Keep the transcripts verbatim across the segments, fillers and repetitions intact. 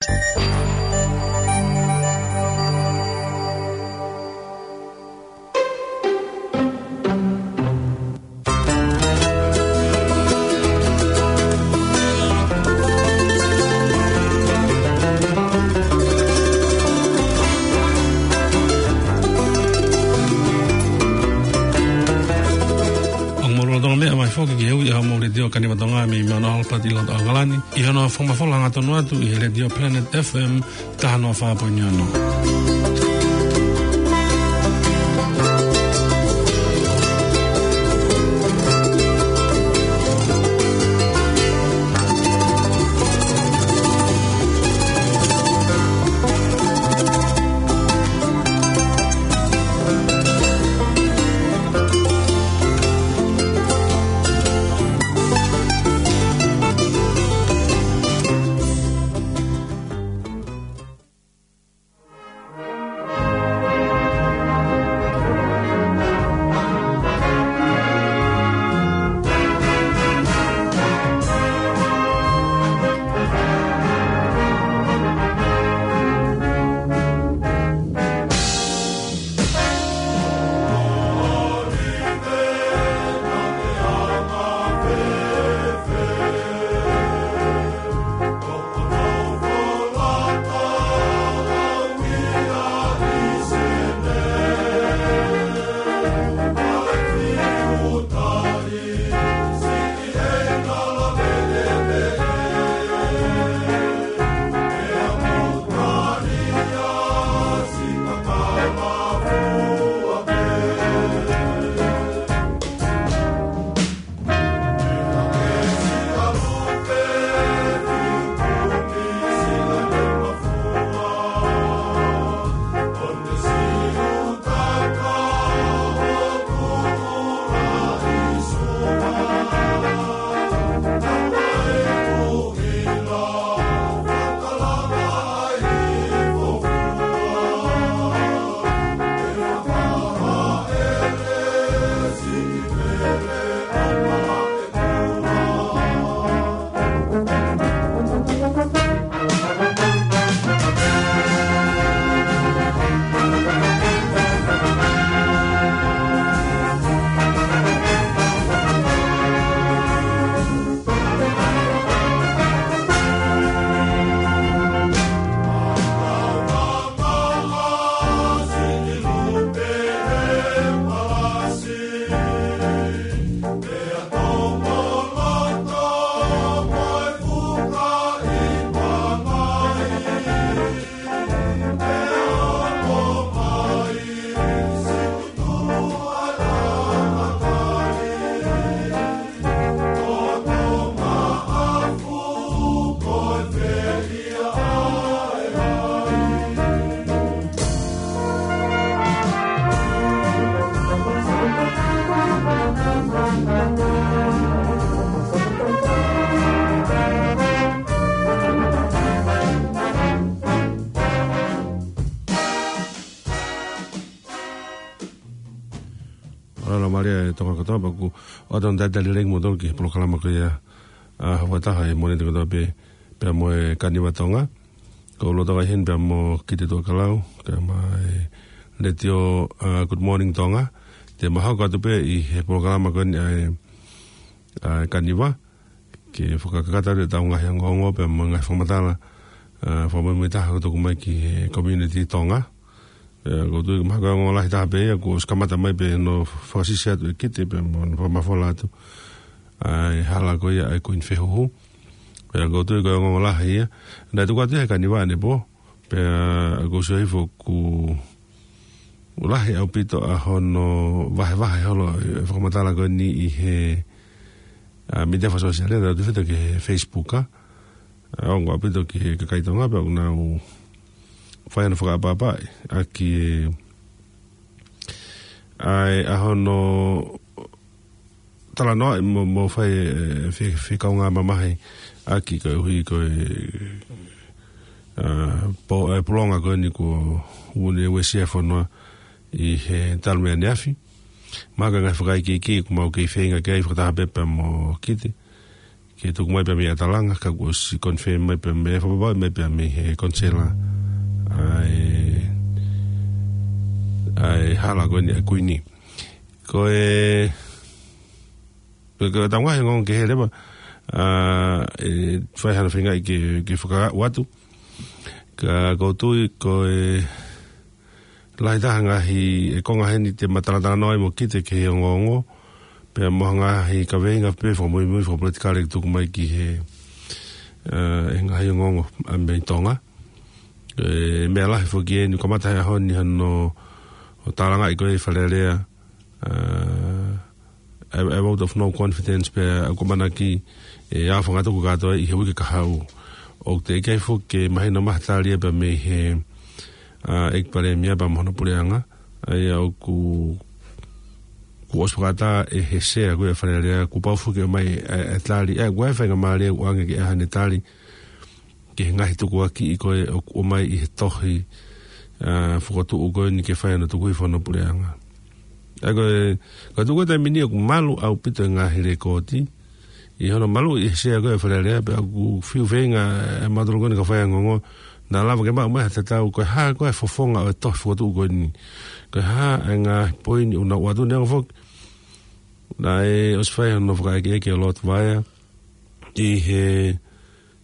ʻOku mou lolotonga meʻa mai foki ki he ui ʻa homou Letiō Kaniva Tonga mei Mount Albert ʻi loto ʻAokalani, ʻi hono fakamafola hangatonu atu ʻi he Letiō Planet F M taha noa fā poini ono. Mālō, mālō e Tonga kotoa, pea ʻoku ou talitali lelei kimoutolu ki he polokalama ko ia ʻa Houataha ʻi he Mōnite kotoa pē, pea mo e Kaniva Tonga. Ko e lotolotonga ʻeni pea mo Kite Tuʻakalau, kae ʻumaʻā e Letiō, ʻa, Good Morning Tonga. Te ma hoko atu pē ʻi he polokalama ko eni ʻa e, ʻa e Kaniva, ke fakakakato atu ʻetau ngaahi ongoongo pea mo e ngaahi fakamatala, ʻa, fakamuimuitaha ʻoku tuku mai ki he community Tonga. ʻE, ʻoku ou tui ko e mahalo ko e ongo lahi taha pē ia, kuo ʻosi kamata mai pē hono fakasisi atu ʻe Kite pea mo hono fakamafola atu ʻa e hala ko ia ʻa e Kuini Fehuhu. Pea ʻoku ou tui ko e ongo lahi ia. Naʻe tuku atu ia he Kaniva ʻanepō, pea ʻoku ou sio hifo ʻoku lahi ʻaupito ʻa hono vahevahe holo e fakamatala ko eni ʻi he, ʻa, mītia fakasōsiale, tautefito ki he Facebook, ʻa. ʻA, ongo ʻaupito ki he kakai Tonga pea ʻoku nau fai hono fakaʻapaʻapaʻi ʻaki e, ʻa e, ʻa hono talanoaʻi mo, mo fai e, e, fe-, fekaungāmamahi ʻaki koeʻuhi ko e, ʻa, po-, e, pulonga ko eni kuo ʻosi uesia e fonua ʻi he talu mei ʻaneafi. Mahalo ko e ngaahi fakaikiiki ʻoku mau kei feinga ki ai fakataha pē pea mo Kite, ke tuku mai pē mei ʻAtalanga, ka kuo ʻosi confirm mai pē mei, fakapapauʻi mai pē mei he konisela ʻa e, ʻa e hala ko eni ʻa Kuini. Ko e, ko e, ko e taunga he ngong ke he leva, ʻa, ʻe fai hano feingaʻi ke, ke fakaaʻu atu. Ka ʻoku ou tui ko e lahi taha ngaahi ʻe konga heni te ma talatalanoa ai mo kite ki he ongoongo. Pea mo ha ngaahi kaveinga pē fakamuimui fakapolitikale ke tuku mai ki he, ʻa, ʻe ngaahi ongoongo ʻa mei Tonga. ʻE meʻa lahi foki eni kamata he ʻaho ni hano ʻo tālangaʻi ko e Fale Alea, ʻa, a, a vote of no confidence pea ʻoku ʻamanaki ʻe ʻaofangatuku kātoa ʻi he uike kahaʻu. ʻOku teʻeki ai foki ke mahino mai ha tali ia pea mei he, ʻa, ʻEiki Palēmia pea mo hono puleʻanga. ʻA ia ʻoku, kuo ʻosi fakatā ʻe he sea ko e Fale Alea, kuo pau foki ʻo mai e, e tali, ʻa, ʻoku ʻi ai e faingamālie ʻoku ʻange ke ʻai haʻane tali ki he ngaahi tukuakiʻi ko ē ʻoku ʻomai ʻi he tohi, ʻa, fokotuʻu ko eni ke fai hano tuku hifo hono puleʻanga. ʻA ia ko e, ka tuku e taimi ni ʻoku malu ʻaupito e ngaahi lekooti, ʻi hono malu ʻi he sea ko e Fale Alea, pea ʻoku fiu feinga ʻe mautolu ko eni kau faiongoongo, naʻa lava ke maʻu mai ha tatau, ko e hā ko e fofonga ʻo e tohi fokotuʻu ko eni. Ko e hā e ngaahi poini ʻoku nau ʻoatu, neongo foki naʻe ʻosi fai hano fakaʻekeʻeke ʻe Lord Vaea ʻi he,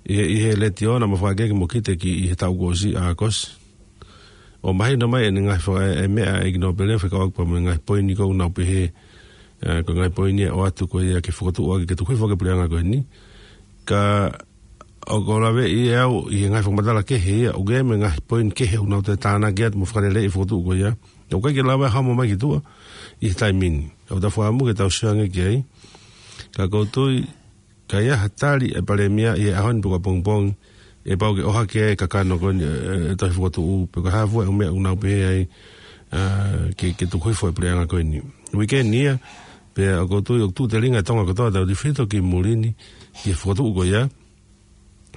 ʻi he, ʻi he letiō naʻa ma fakaʻekeʻeke mo kite ki ʻi he taʻu kuo ʻosi ʻAokosi. ʻO mahino mai ʻene ngaahi faka-, e, e meʻa ʻa e ʻEiki Nōpele fekauʻaki pea mo e ngaahi poini ko ē ʻoku nau pehē, ʻa, ko e ngaahi poini ʻe ʻoatu ko ia ke fokotuʻu ʻaki ke tuku hifo ʻaki e puleʻanga ko eni. Ka ʻoku ou laveʻi ʻe au ʻi he ngaahi fakamatala kehe ia, ʻoku ʻi ai mo e ngaahi poini kehe ʻoku nau toe tānaki atu mo fakaleleiʻi e fokotuʻu ko ia. ʻOku ʻikai ke lava ʻo hamo mai ki tuʻa ʻi he taimi ni. ʻOku tau fakaʻamu ke tau sio ange ki ai. Ka ʻoku ou tui, ka ʻi ai ha tali ʻa e Palēmia ʻi he ʻaho ni pe ko e pongipongi, ʻe pau ke ʻohake ai e kakano ko eni, ʻe, ʻe, e tohi fokotuʻu, pe ko e hā fua e ʻū meʻa ʻoku nau pehē ai, ʻa, ke, ke tuku hifo e puleʻanga ko eni. Uike ni ia, pea ʻoku ou tui ʻoku tuʻu telinga e Tonga kotoa tautefito ki muli ni, ki he fokotuʻu ko ia.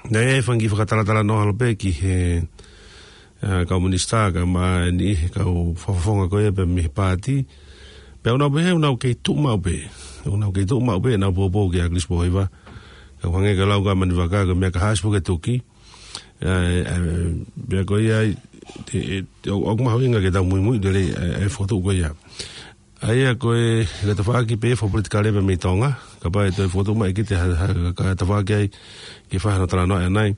Naʻe ʻi ai e fanga kiʻi fakatalatalanoa holo pē ki he, ʻa, kau minisitā, kae ʻumaʻā e niʻihi kau fakafofonga ko ia pē mei he paati. Pea ʻoku nau pehē ʻoku nau kei tuʻu maʻu pē. ʻOku nau kei tuʻu maʻu pē ʻenau poupou kia Chris Pohiva. Ka ʻoku hangē ko e lau ko ē ʻa Manivaka, ko e meʻa ka hasi puke tuki. ʻA, ʻa, pea ko ia ai, te, te, ʻo, ʻoku mahuʻinga ke tau muimui lelei, ʻa, ʻa e fokotuʻu ko ia. ʻA ia ko e, ko e tafaʻaki pē fakapolitikale pē mei Tonga, kapau ʻe toe fokotuʻu mai ʻe kite ha, ha, ka tafaʻaki ai ke fai hano talanoa ʻanenai.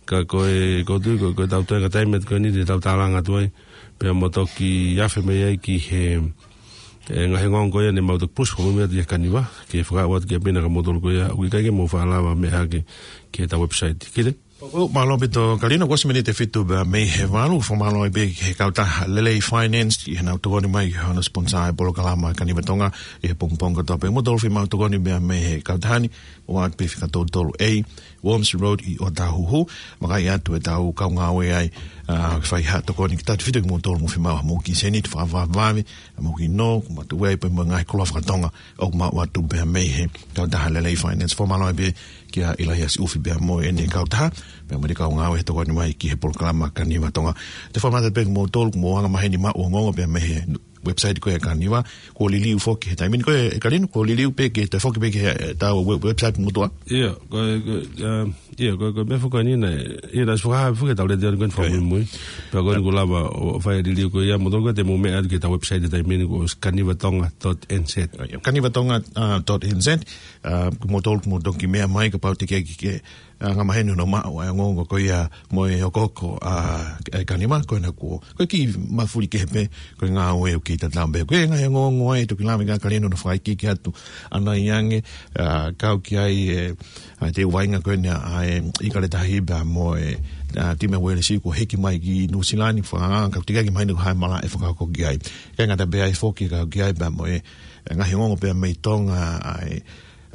Ka ko e, ʻoku ou tui ko e, ko e tau toenga taimi atu ko eni te tau tālanga atu ai, pea mo toki afe mai ai ki he, e, ngaahi ongoongo ko ia ne mau toki push ko mimi atu ʻi he Kaniva, ke fakaaʻu atu ki ʻapi na ka moutolu ko ia, ʻoku ʻikai ke mou faʻa lava meʻa hake ki heʻetau website. Kile? ʻOku mālō ʻaupito Kalino, kuo ʻosi miniti ʻe fitu pē mei he valu, fakamālō ai pē ki he kautaha Lelei Finance, ʻi heʻenau tokoni mai ki hono sponsor e polokalama Kaniva Tonga, ʻi he pongipongi kotoa pē. Mo tolu fima tokoni pē mei he kautaha ni, ʻoatu pē fika tolu tolu A, Worms Road ʻi ʻOtahuhu, vakai atu ʻetau kau ngāue ai, ʻa, ke fai ha tokoni ki tautefito kimoutolu mo fima mo ki seni, te fakavavevave, mo ki no, mo tu ai pē mo e ngaahi koloa fakatonga, ʻoku maʻu atu pē mei he kautaha Lelei Finance. Fakamālō ai pē kia ʻIlaiasi ʻUfi pea mo ʻene kautaha, pea mo e kau ngāue he tokoni mai ki he polokalama Kaniva Tonga. Te u fakamālō pē kimoutolu, kuo mou anga maheni maʻu ongoongo pē mei he website ko ē Kaniva, kuo liliu foki he taimi ni ko ē, Kalino, kuo liliu pē ke toe foki pē ki he, ʻetau web-, website motuʻa. ʻIo, ko, ko, um, ʻIo, ko, ko e meʻa foki ko eni naʻe, ʻio, naʻe ʻosi fakahā foki ʻetau letiō ni ko eni fakamuimui. Pea ko eni kuo lava ʻo fai e liliu ko ia, mo tolu ko ē te mou meʻa atu ki heʻetau website he taimi ni ko e kanivatonga dot N Z. ʻIo, kanivatonga, ʻa, dot N Z, ʻa, mo tolu mo toki meʻa mai kapau te ke, ke, ʻa, anga maheni hono maʻu ʻa e ongoongo ko ia mo e hokohoko, ʻa, e Kaniva, ko ena kuo, ko e kiʻi mafuli kehe pē, ko e ngāue ʻoku kei tatau pē. Ko e ngaahi ongoongo ai, toki lave ʻa Kalino ʻo fakaikiiki atu ʻanai ange, ʻa, kau ki ai, e, ʻa, te u vainga ko eni ʻa e, ʻIkale Tahi pea mo e, ʻa, timi ʻa Uelesi kuo hiki mai ki Nuʻusila ni, fakaanga, ka ʻoku teʻeki ai ke mahino ko e hā e malaʻe fakahoko ki ai. ʻIkai ngata pē ai foki kau ki ai pea mo e, e ngaahi ongoongo pē mei Tonga, ʻa e,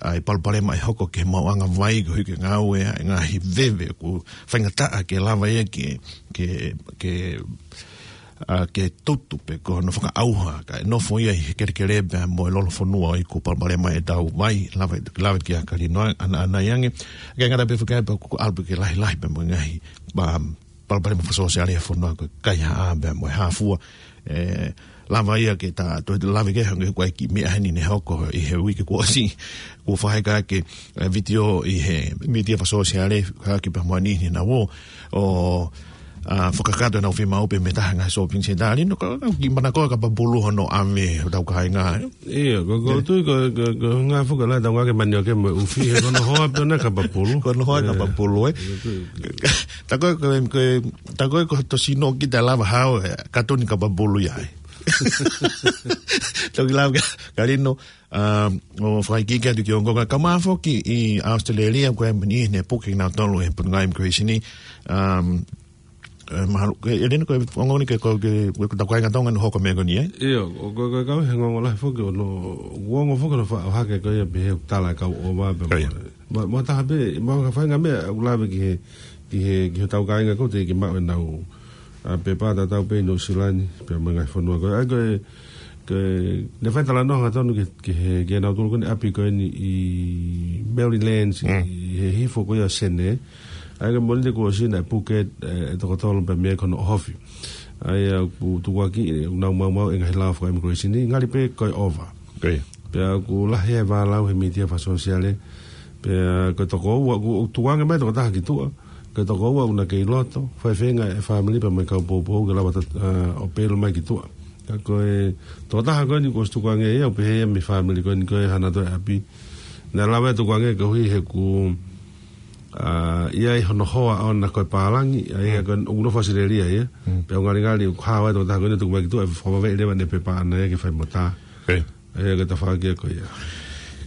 ʻa e palopalema ʻe hoko ki he maʻuʻanga vai, koeʻuhi ko e ngāue ʻa e ngaahi veve ʻoku faingataʻa ke lava ia ke, ke, ke, ʻa, ke tutu pe ko hono fakaʻauha, kae nofo ia ʻi he kelekele pea mo e lolofonua ʻi he kuo palopalema ʻetau vai, lave, lave kia Kalino ʻana, ʻanai ange. ʻIkai ngata pē foki ai pea kuo ʻalu pē ke lahilahi pea mo e ngaahi, ʻa, palopalema fakasōsiale ʻa e fonua ko e kaihaʻa pea mo e hā fua, e, lava ia ke ta toe lave ki ai, hangē ko e kiʻi meʻa heni ne hoko ʻi he uike kuo ʻosi, kuo fakaheka ʻaki e vitiō ʻi he mītia fakasōsiale, ka ki pea mo e niʻihi naʻa nau ō ʻo fakakakato ʻenau fiemaʻu pē mei he taha e ngaahi shopping centre. Lino, ka, ka kiʻi manako ʻa Kapapulu hono ʻave hotau kāinga. ʻIo, ko, ko, tui ko, ko, ko e ngaahi foki la tau ngake mani ake mo e ʻufi, he ko hono hoa pē ʻona ʻa Kapapulu. Ko hono hoa ʻa Kapapulu, ē. Ko, ko, ko, ko, tā ko ē ko, ko, tā ko ē ko hoto sino kita lava hao, ē, katoni Kapapulu ia, ē. Toki lava ka, ka Lino, ʻa, ʻo fakaikiiki atu ki he ongoongo, ka mā foki ʻi ʻAositelēlia, ko e niʻihi ne puke kinautolu ʻe he Potungāue Immigration, um, ē, mahalo, ke, ʻe Lino ko e ongoongo ni ke, ko, ke, ko, ko e tau kāinga Tonga naʻe hoko e meʻa ko eni, ē? ʻIo, ko, ko, ko e kau he ongoongo lahi foki ʻo no, ongoongo foki ʻo fa-, ʻohake ko ia pē he tala e kau ʻova pē. ʻIo. Mo, mo taha pē, mo ka fainga meʻa, ʻoku lave ki he, ki he, ki he tau kāinga ko ē teʻeki ke maʻu ʻenau, ʻa, pepa tatau pē ʻi Nuʻu Sila ni, pea mo e ngaahi fonua ko ē. ʻA ia ko e, ko e, ne fai talanoa hangatonu ki, ki he, ki heʻenau tolu ko eni ʻapi ko eni ʻi Merrylands, Mm. ʻi he hifo ko ia Senē. ʻA ia ko e mōnite kuo ʻosi naʻe puke, ē, e toko tolu pē mei ai ko hono ʻohofi. ʻA ia ʻoku tukuakiʻi, ʻoku nau maumauʻi e ngaahi lao faka-immigration ni, ngali pē ko e ʻova. ʻIo. Pea ʻoku lahi e vālau he mītia fakasōsiale. Pea ko e toko ua, ʻoku, ʻoku tukuange mai e toko taha ki tuʻa. Ko e toko ua ʻoku na kei loto, faifeinga e fāmili pea mo e kau poupou ke lava ʻo, ʻa, ʻo pelu mai ki tuʻa. Ka ko e toko taha ko eni kuo ʻosi tukuange ia, ʻo pehē ia mei he fāmili ko eni ko e hana toe ʻapi. Naʻe lava ia ʻo tukuange koeʻuhi he ʻoku, ʻa, ʻi ai hono hoa ʻoʻona ko e pālangi, ʻa ia Mm. ko e ʻoku nofo ʻAositelēlia ia. Mm. Pea ʻoku ngalingali ʻoku hao e toko taha ko eni ʻo tuku mai ki tuʻa, ʻe fakavaveʻi leva ʻene pepa ʻana ia ke fai mo tā. ʻIo. ʻA ia ko e tafaʻaki ia ko ia.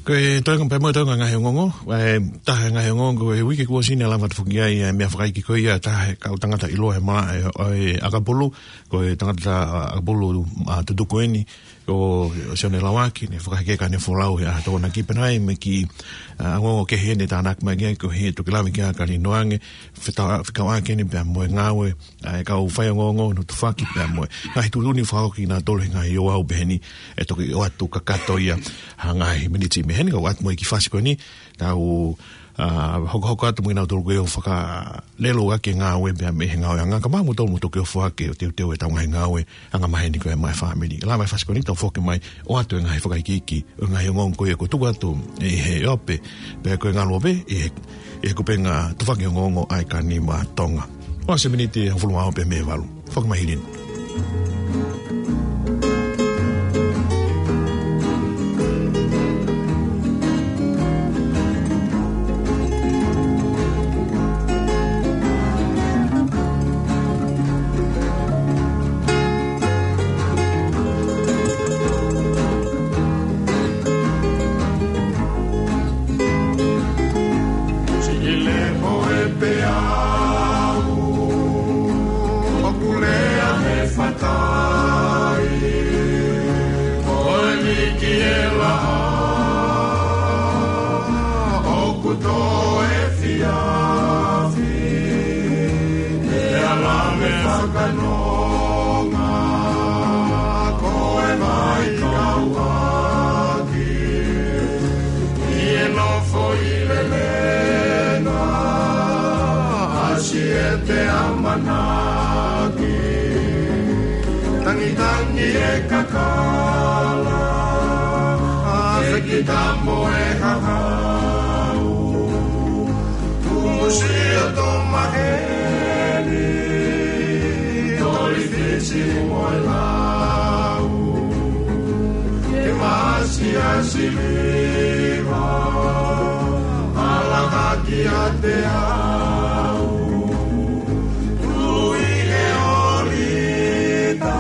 Ko e toenga pē mo e toenga ngaahi ongoongo, ʻa e taha e ngaahi ongoongo ko e uike kuo ʻosi naʻe lava atu foki ai e meʻa fakaikiiki ko ia, taha e kau tangata ʻiloa he malaʻe ʻo e ʻakapulu, ko e tangata ʻakapulu, ʻa, tutuku eni, ko Sione Lauaki, ne fakaheka ʻene folau he ʻaho Tokonaki pea naʻe ʻi ai mo e kiʻi, ʻa, ongoongo kehe ne tānaki mai ki ai, ko e toki lave ki ai ʻa Kalino ange, feta-, fekauʻaki eni pea mo e ngāue ʻa e kau faiongoongo ʻo Tufaki pea mo e ngaahi tuʻutuʻuni fakahoko kinautolu he ngaahi ouau pehē ni, ʻe toki ʻoatu kakato ia ha ngaahi miniti mei heni, ka ʻoatu mo e kiʻi fasi ko eni, tau, ʻa, hokohoko atu mo kinautolu ko ē ʻoku fakalelei ʻaki e ngāue pea mei he ngāueʻanga, ka maʻa moutolu mo toki ʻohake ʻo teuteu e tau ngaahi ngāue, angamaheni ko ē maʻa e fāmili. Lava e fasi ko eni tau foki mai ʻo ʻoatu e ngaahi fakaikiiki ʻo e ngaahi ongoongo ko ia kuo tuku atu ʻi he ope, pea ko e ngaluope, ʻi he, ʻi he kupenga Tufaki Ongoongo ʻa e Kāinga Tonga. ʻOsi e miniti ʻe hongofulu mā ua pē mei he valu. Foki mai Hilin. Sile mo e peau, ʻoku lea he fatai, ko e miki e laʻā, ʻoku tō e fiafi, e ala me fakanonga, ko e mai kauaki, ʻi he nofo ʻi Lelenga, ʻasi e te amanaki, tangitangi e kakala, ʻa e kita mo e hahau, tumusi ʻo tō maheni, toli Fisi mo e lau, ke maʻasi ʻa Siliva, ʻalahaki ʻa te au, tui e ʻolita,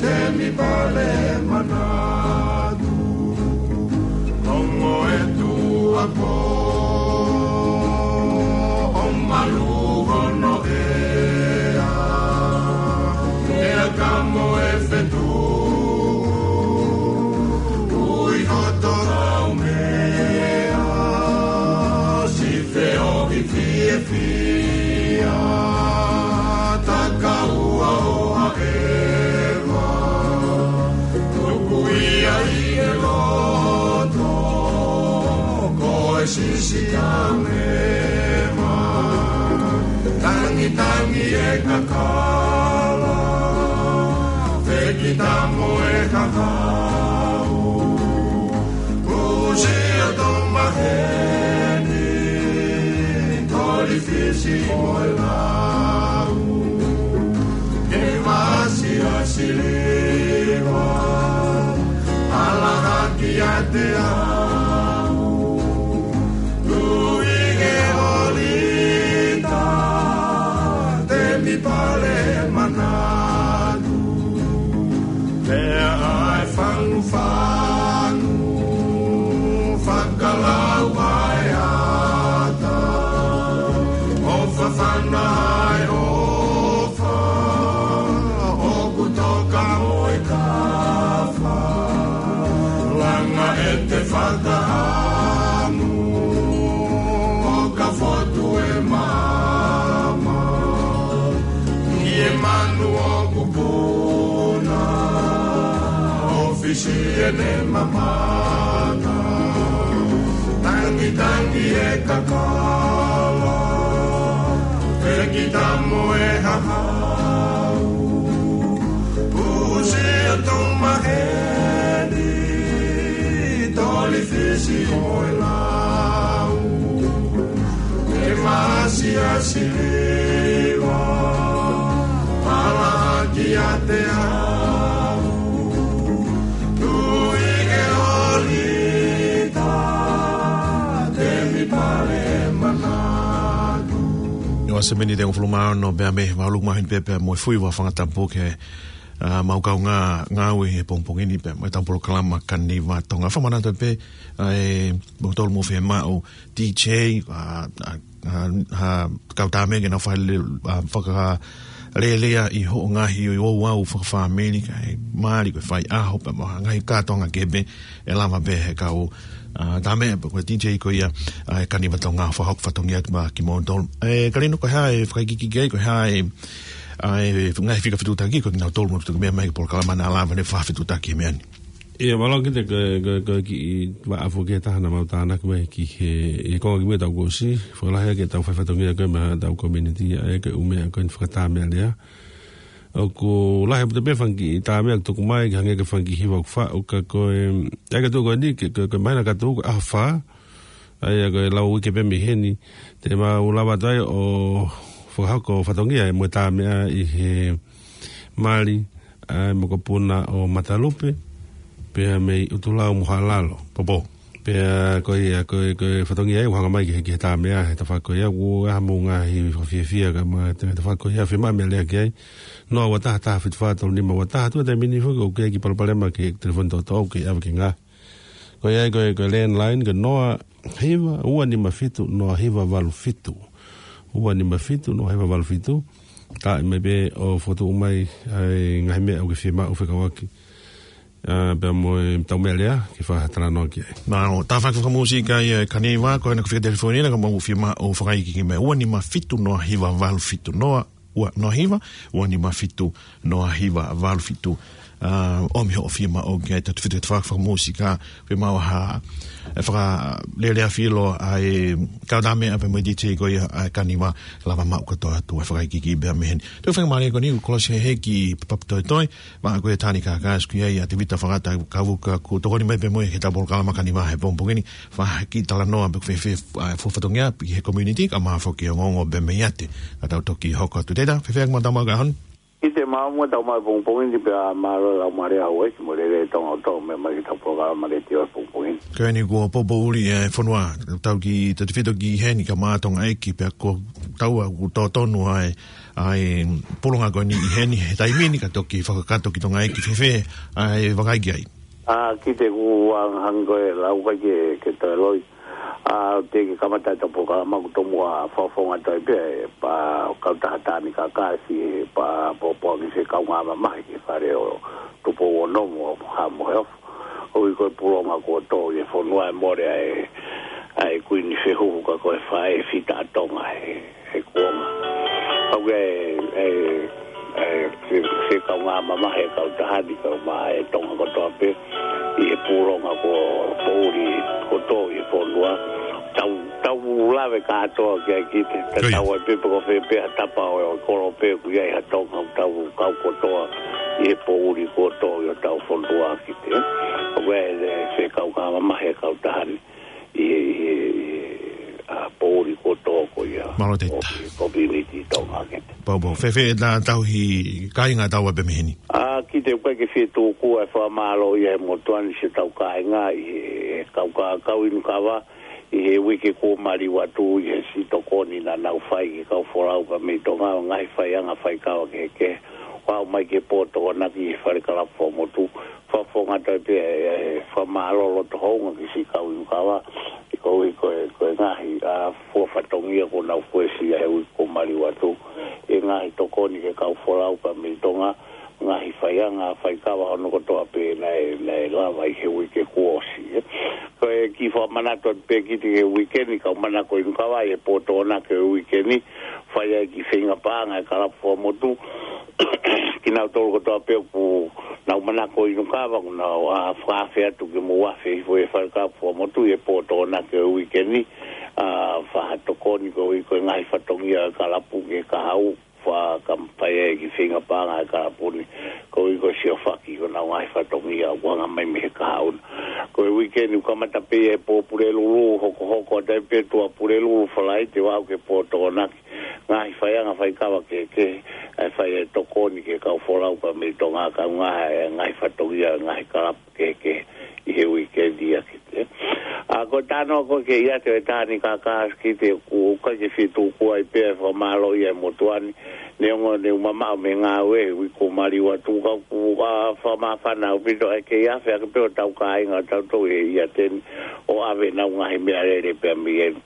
temi pale manatu. Ongo e tuʻa pō, ʻo malu hono ʻea, ʻea ka mo e fetuʻu, ui hoto laumea, si feohi fiefia, takaua ʻo haʻeva, tuku ia ʻi he loto, ko e sisi kamema, tangitangi e kakala, Kita mo e kakau, kusi o tau maheni, toli fisi mo e lau, ke masi a siliva, ala haki a te au, tui ke olita, te mi pale manatu. Pea ʻai fangufanu, fakalau ʻai ata, ʻo fafana ʻai ʻofa, ʻoku toka mo e kafa, langa e te fakahamu, ʻo ka fotu e mama, ʻi e manu ʻoku puna, ʻo fisi e ne mamana, tangitangi e kakala, fekita mo e hahau, pusi o tau maheni, toli fisi mo e lau, ke masi a siliva, pala ki a te au, tui ke olita, te mi pale manatu. ʻIo, ʻa e miniti ʻe hongofulu mā ono pea mei he valu māhina pē pea mo e fui ua fangatapu ke, ʻa, mau kau ngā, ngāue he pongipongi ni pea mo e tau polokalama Kaniva Tonga. Fakamanatu pē, ʻa e, mo tolu mo fē mau, D J, ʻa, ʻa, ʻa, ʻa, kau tāmea ke na fai le, ʻa, fakalelea ʻi hoʻo ngaahi ouau fakafāmili, kae mali ko e fai ʻaho, pea mo ha ngaahi kātoanga kehe pē, ʻe lava pē he kau, ʻa, tāmea, pea ko e D J ko ia, ʻa, e Kaniva Tonga, fakahoko fatongia ki ma, ki mo tolu. ʻE, Kalino, ko e hā e fakaikiiki ki ai, ko e hā e, ʻa, e ngaahi fika fetutaki, ko kinautolu mo tuku mea mai ki polokalama na lava ne fakafetutaki he meʻa ni. ʻIo, mālō Kite, ko, ko, ko e kiʻi vaʻafu ke taha na mau tānaki mai ki he, ʻi he konga ki mui ʻetau kuo ʻosi, fakalahi ake ʻetau fai fatongia ko e meʻa ʻetau community, ʻa e ko e ʻū meʻa ko eni fakatāmealea. ʻOku lahi ʻaupito pē fanga kiʻi tāmea ʻoku tuku mai, ke hangē ko e fanga kiʻi hiva ʻoku faʻu, ka ko e, ʻa e ka tuku ko eni, ke, ko, ko e māhina ka tuku, ʻaho fā, ʻa ia ko e lau uike pē mei heni, te mau lava atu ai ʻo fakahoko fatongia ʻe mo e tāmea ʻi he mali, ʻa e mokopuna ʻo Matalupe, pea mei ʻUtulau mo Haʻalalo, Popo. Pea ko ia, ko e, ko e fatongia ia ʻoku hanga mai ki he, ki he tāmea, he tafaʻaki ko ia, ʻoku ʻi ai hamou ngaahi fakafiefia ka ma, te tafaʻaki ko ia, fiemaʻu meʻalea ki ai, noa ua taha taha fitu fā tolu nima ua taha, tuʻa taimi ni foki, ʻoku ʻi ai e kiʻi palopalema ki he telefoni toʻotoʻo, ʻoku kei ʻave ke ngā. Ko ia, ko e, ko e landline, ko e noa hiva, ua nima fitu, noa hiva valu fitu. Ua nima fitu, noa hiva valu fitu. Ka ʻi mai pē ʻo fokotuʻu mai ʻa e ngaahi meʻa ʻoku ke fiemaʻu fekauʻaki. ʻA, pea mo e tau meʻalea, ke fakatalanoa ki ai. Mālō, tā faka fakamūsika ia ʻe Kaniva, ko ena ko e fika telefoni na ka mau fiemaʻu fakaikiiki mai. Ua nima fitu, noa hiva valu fitu, noa, ua, noa hiva, ua nima fitu, noa hiva valu fitu. ʻA, ʻomi hoʻo fiemaʻu ki ai, tau tefito ke faka fakamūsika, fiemaʻu ha, ʻe fakalelea filo ʻa e kau tāmea pea mo e D J ko ia ʻa Kaniva, lava maʻu kātoa atu ʻa e fakaikiiki pea mei heni. Tau faingamālie ko eni, kolosi he heki papatoetoe, ma ko e tani ka ka sku ia ia te vita fakata kavuka ku tokoni mai pē mo e he tau polokalama Kaniva he pongipongi ni, fakahoko e talanoa pe ko e fē, fē, ʻa, fo fatongia, ʻi he community, ka ma foki ongoongo pē mei ate, ka tau toki hoko atu teta, fēfē ʻaku ma tau mau ka hon? ʻIte mau mo tau mau pongipongi ni pea mālō lau mare au e, mo lele Tonga ʻo tau meʻa mai ki he tau polokalama letiō he pongipongi ni. Ko eni kuo popoʻuli e fonua, tau ki, tau tefito ki heni ka ma Tonga ʻEiki pea ko tau ʻoku totonu ai, ʻa e pulonga ko eni ʻi heni he taimi ni ka toki fakakakato ki Tonga ʻEiki fēfē ʻa e vakai ki ai. ʻA, Kite, ʻoku ou hanga ko e lau kai ke, ke toe loi. ʻA, te ke kamata e tau polokalama ʻoku tomuʻa fakafofonga toe pē, pea kau taha tani ka ka si, pea popoaki se kau ngā mamahi ki he fale ʻo Tupou ʻo Nomu ʻo Haʻa Moheofo. ʻOku ʻi ai ko e pulonga kuo tō ʻi he fonua ʻe mole ai, ʻa e kuini fehuhu ka ko e faʻē fita ʻa Tonga he, he kuonga. ʻOku ʻi ai e, e, e, se, se kau ngā mamahi e kau taha ni kau mai ʻe Tonga kotoa pē ʻi he pulonga kuo poʻuli kuo tō ʻi he fonua. Tau, tau lave kātoa ki ai ki te, te Ko ia. tau ai pē pe ko fē pē ha tapa ʻo e kolo pē ʻoku ʻi ai ha Tonga, tau kau kotoa ʻi he poʻuli kotoa ʻi hotau fonua ki te. ʻOku ʻi ai e fekau ka mamahi e kautaha ni ʻi he, ʻi he, ʻi he, ʻa, poʻuli kotoa ko ia. Mālō Tevita. ʻO e community Tonga ki te. Pau, pau. Fēfē ʻeta tauhi kāinga tau ai pē mei heni? ʻA, ki te ʻoku ʻikai ke fie tuku e fakamālō ia he motuʻa ni siʻetau kāinga ʻi he kau ka, kau inu kava, ʻi he uike kuo maliu atu ʻi he siʻi tokoni naʻa nau fai ki he kau folau pea mei Tonga, ngaahi faiʻanga faikava kehekehe. Ua mai ki he pō Tokonaki ʻi he fale kalapu fakamotu. Fakafofonga atu ai pē e, e, fakamālō loto houngaʻia ki siʻi kau inu kava. ʻI ko e, ko e, ko e ngaahi, ʻa, fua fatongia kuo nau fuesia he uike kuo maliu atu. ʻI he ngaahi tokoni ki he kau folau pea mei Tonga. Ngaahi faiʻanga faikava hono kotoa pē naʻe, naʻe lava ʻi he uike kuo ʻosi, ē. Ko e kiʻi fakamanatu atu pē ki te he uike ni, kau manako inu kava ʻi he pō Tokonaki he uike ni, fai ai e kiʻi feinga paʻanga e kalapu fakamotu. Kinautolu kotoa pē ʻoku nau manako inu kava, ʻoku nau, ʻa, fakaafe atu ke mou afe hifo he fale kalapu fakamotu ʻi he pō Tokonaki he uike ni, ʻa, fai ha tokoni koeʻuhi ko e ngaahi fatongia e kalapu ki he kahaʻu, fakakamata ai e kiʻi feinga paʻanga e kalapu ni, koeʻuhi ko e siʻi ʻohake ki honau ngaahi fatongia ʻoku hanga mai mei he kahaʻu na. Ko e uike ni ʻoku kamata pē ʻi he pō Pulelulu, hokohoko atu ai pē tuʻa Pulelulu, Falaite ʻo aʻu ki he pō Tokonaki. Ngaahi faiʻanga faikava kehekehe, ʻa e fai e tokoni ki he kau folau pea mei Tonga, kae ʻumaʻā e ngaahi fatongia, ngaahi kalapu kehekehe ʻi he uike ni ʻa ki te. ʻA, ko e talanoa ko ē ki he ʻiate ʻo e Tānikaka ki te, ʻoku ʻikai ke fie tuku ai pē e fakamālō ia he motuʻa ni, neongo ne u mamaʻo mei he ngāue he uike kuo maliu atu ka ʻoku, ʻa, fakamāfana ʻaupito ʻa e kei afe ake pē hotau kāinga ʻo tautolu he ʻiate ni ʻo ʻave ʻenau ngaahi meʻalele pea mei heni.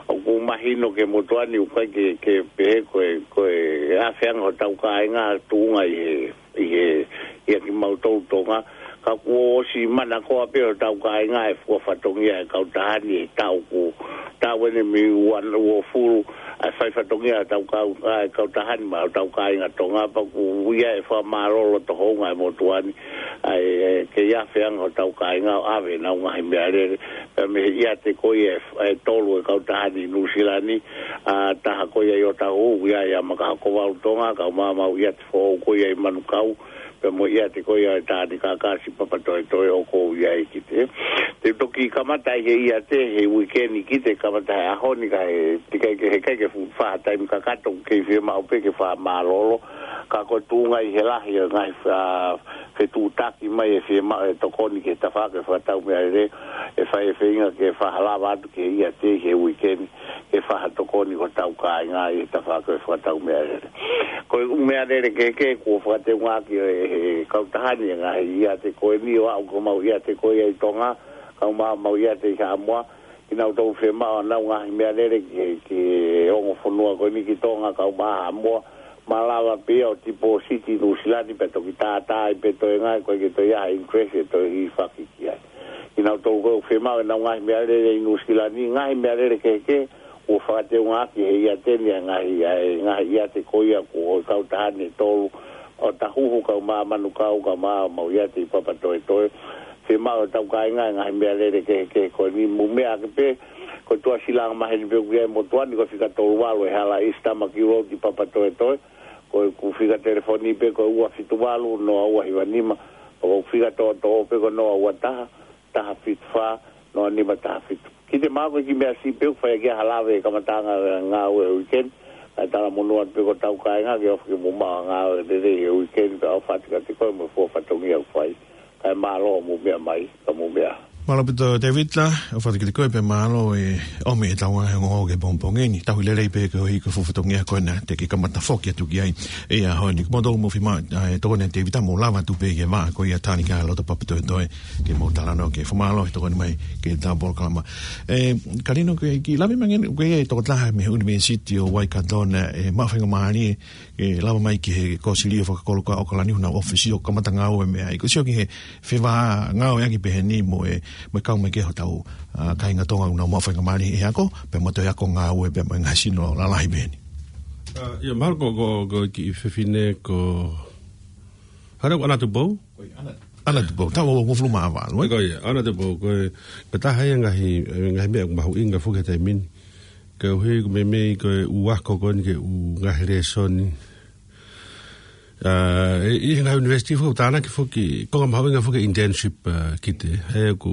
ʻOku mahino ki he motuʻa ni ʻoku ʻikai ke, ke pehē ko e, ko e afe ange hotau kāinga tuʻunga ʻi he ʻi he, ʻia kimautolu Tonga, ka kuo ʻosi manakoa pē hotau kāinga e fua fatongia e kautaha ni he taʻu kuo, taʻu eni mei ua, uofulu, ʻa e fai fatongia hotau kau, ʻa e kautaha ni maʻa hotau kāinga Tonga, pea ʻoku ʻi ai e fakamālō loto houngaʻia he motuʻa ni, ʻa e, e, kei afe ange hotau kāinga ʻo ʻave ʻenau ngaahi meʻalele, pea mei he ʻiate ko ia e, e tolu e kautaha ni ʻi Nuʻusila ni, ʻa, taha ko ia ʻi ʻŌtāhuhu, ʻoku ʻi ai ʻa Makahokovalu Tonga, kae ʻumaʻā ʻemau ʻiate foʻou ko ia ʻi Manukau, pea mo e ʻiate ko ia ʻo e Tānikaka siʻi Papatoetoe ʻoku ou ʻi ai ki te. Te u toki kamata ʻi he ʻiate he uike ni ki te kamata he ʻaho ni ka he, te ʻikai ke, he ʻikai ke fu-, fai ha taimi kakato, kei fiemaʻu pē ke fakamālōlō, ka ko e tuʻunga ʻi he lahi ʻo e ngaahi fa-, fetuʻutaki mai e fiemaʻu e tokoni ki he tafaʻaki e fakatau meʻalele, ʻe fai e feinga ke fai ha lava atu ke ʻiate he uike ni, ke fai ha tokoni ki hotau kāinga ʻi he tafaʻaki e fakatau meʻalele. Ko e ʻū meʻalele kehekehe kuo fakateungaʻaki ʻe he kautaha ni e ngaahi ʻiate ko eni ʻo aʻu ki homau ʻiate ko ia ʻi Tonga, kae ʻumaʻā homau ʻiate ʻi Haʻamoa, kinautolu fiemaʻu ʻenau ngaahi meʻalele ki he, ki he ongo fonua ko eni ki Tonga, kae ʻumaʻā Haʻamoa, malava pē ia ʻo tipōsiti ʻi Nuʻusila ni pea toki tātā ai pē toenga, ʻikai ke toe ʻi ai ha interest ʻe toe hilifaki ki ai. Kinautolu ko ē ʻoku fiemaʻu ʻenau ngaahi meʻalele ʻi Nuʻusila ni, ngaahi meʻalele kehekehe, kuo fakateungaʻaki he ʻiate ni ʻa e ngaahi, ʻa e ngaahi ʻiate ko ia kuo ʻo e kautaha ni ʻe tolu, ʻo ʻŌtāhuhu kae ʻumaʻā Manukau kae ʻumaʻā homau ʻiate ʻi Papatoetoe. Fiemaʻu ʻe hotau kāinga e ngaahi meʻalele kehekehe ko eni, mou meʻa ake pē, ko e tuʻasila angamaheni pē ʻoku ʻi ai he motuʻa ni ko e fika tolu valu e hala East Tamaki Road ʻi Papatoetoe, ko ʻeku fika telefoni pē ko e ua fitu valu, noa ua hiva nima, pea ko ʻeku fika toʻotoʻo pē ko e noa ua taha, taha fitu fā, noa nima taha fitu. Ki te mako ki meʻa siʻi pē ʻoku fai ʻaki ha lave he kamataʻanga e ngāue he uike ni, kae talamonū atu pē ki hotau kāinga ke ofi ke mou maʻu ha ngāue lelei he uike ni, pea ʻofa atu kiate koe mo e fua fatongia ʻoku fai. Kae mālō hoʻomou meʻa mai, ka mou meʻa. Mālō ʻaupito Tevita, ʻofa atu kiate koe pea mālō e ʻomi ʻetau ngaahi ongoongo ki he pongipongi ni, tauhi lelei pē koeʻuhi ko e fua fatongia ko ena te ke kamata foki atu ki ai ʻi he ʻaho ni. Ko moutolu mou fiemaʻu, ʻa, e tokoni ʻa Tevita mou lava atu pē ki he vaʻa ko ia Tānikaka loto Papatoetoe, ke mou talanoa ki ai. Fakamālō he tokoni mai ki heʻetau polokalama. ʻE, Kalino, ke kiʻi lave mai ange, ko e tokotaha mei he ʻUnivēsiti ʻo Waikato naʻe maʻu faingamālie ke lava mai ki he kōsilio fakakolo ko ē ʻa ʻAokalani, ʻenau ʻōfisi ʻo kamata ngāue mei ai. Ko e sio ki he fevā ngāueʻaki pehē ni mo e, mo e kau mai ki ai hotau, ʻa, kāinga Tonga ʻoku nau maʻu faingamālie he ako, pea mo toe ako ngāue pea mo e ngaahi sino lalahi pehē ni. ʻA, ʻio, mahalo ko, ko, ko e kiʻi fefine ko Hare ʻAna Tupou. Ko e ʻAna. Ana tupo, tau o ngofulu mā valu, ē? Ko ia, ana tupo, ko e, ko e taha ia ngaahi, ngaahi meʻa ʻoku mahuʻinga foki he taimi ni. Koeʻuhi ko e meimei ko e ʻū ako ko eni ki he ʻū ngaahi lēsoni. ʻA, ʻi, ʻi he ngaahi university foki, tānaki foki, konga mahuʻinga foki internship, ʻa, ki te, he ʻoku,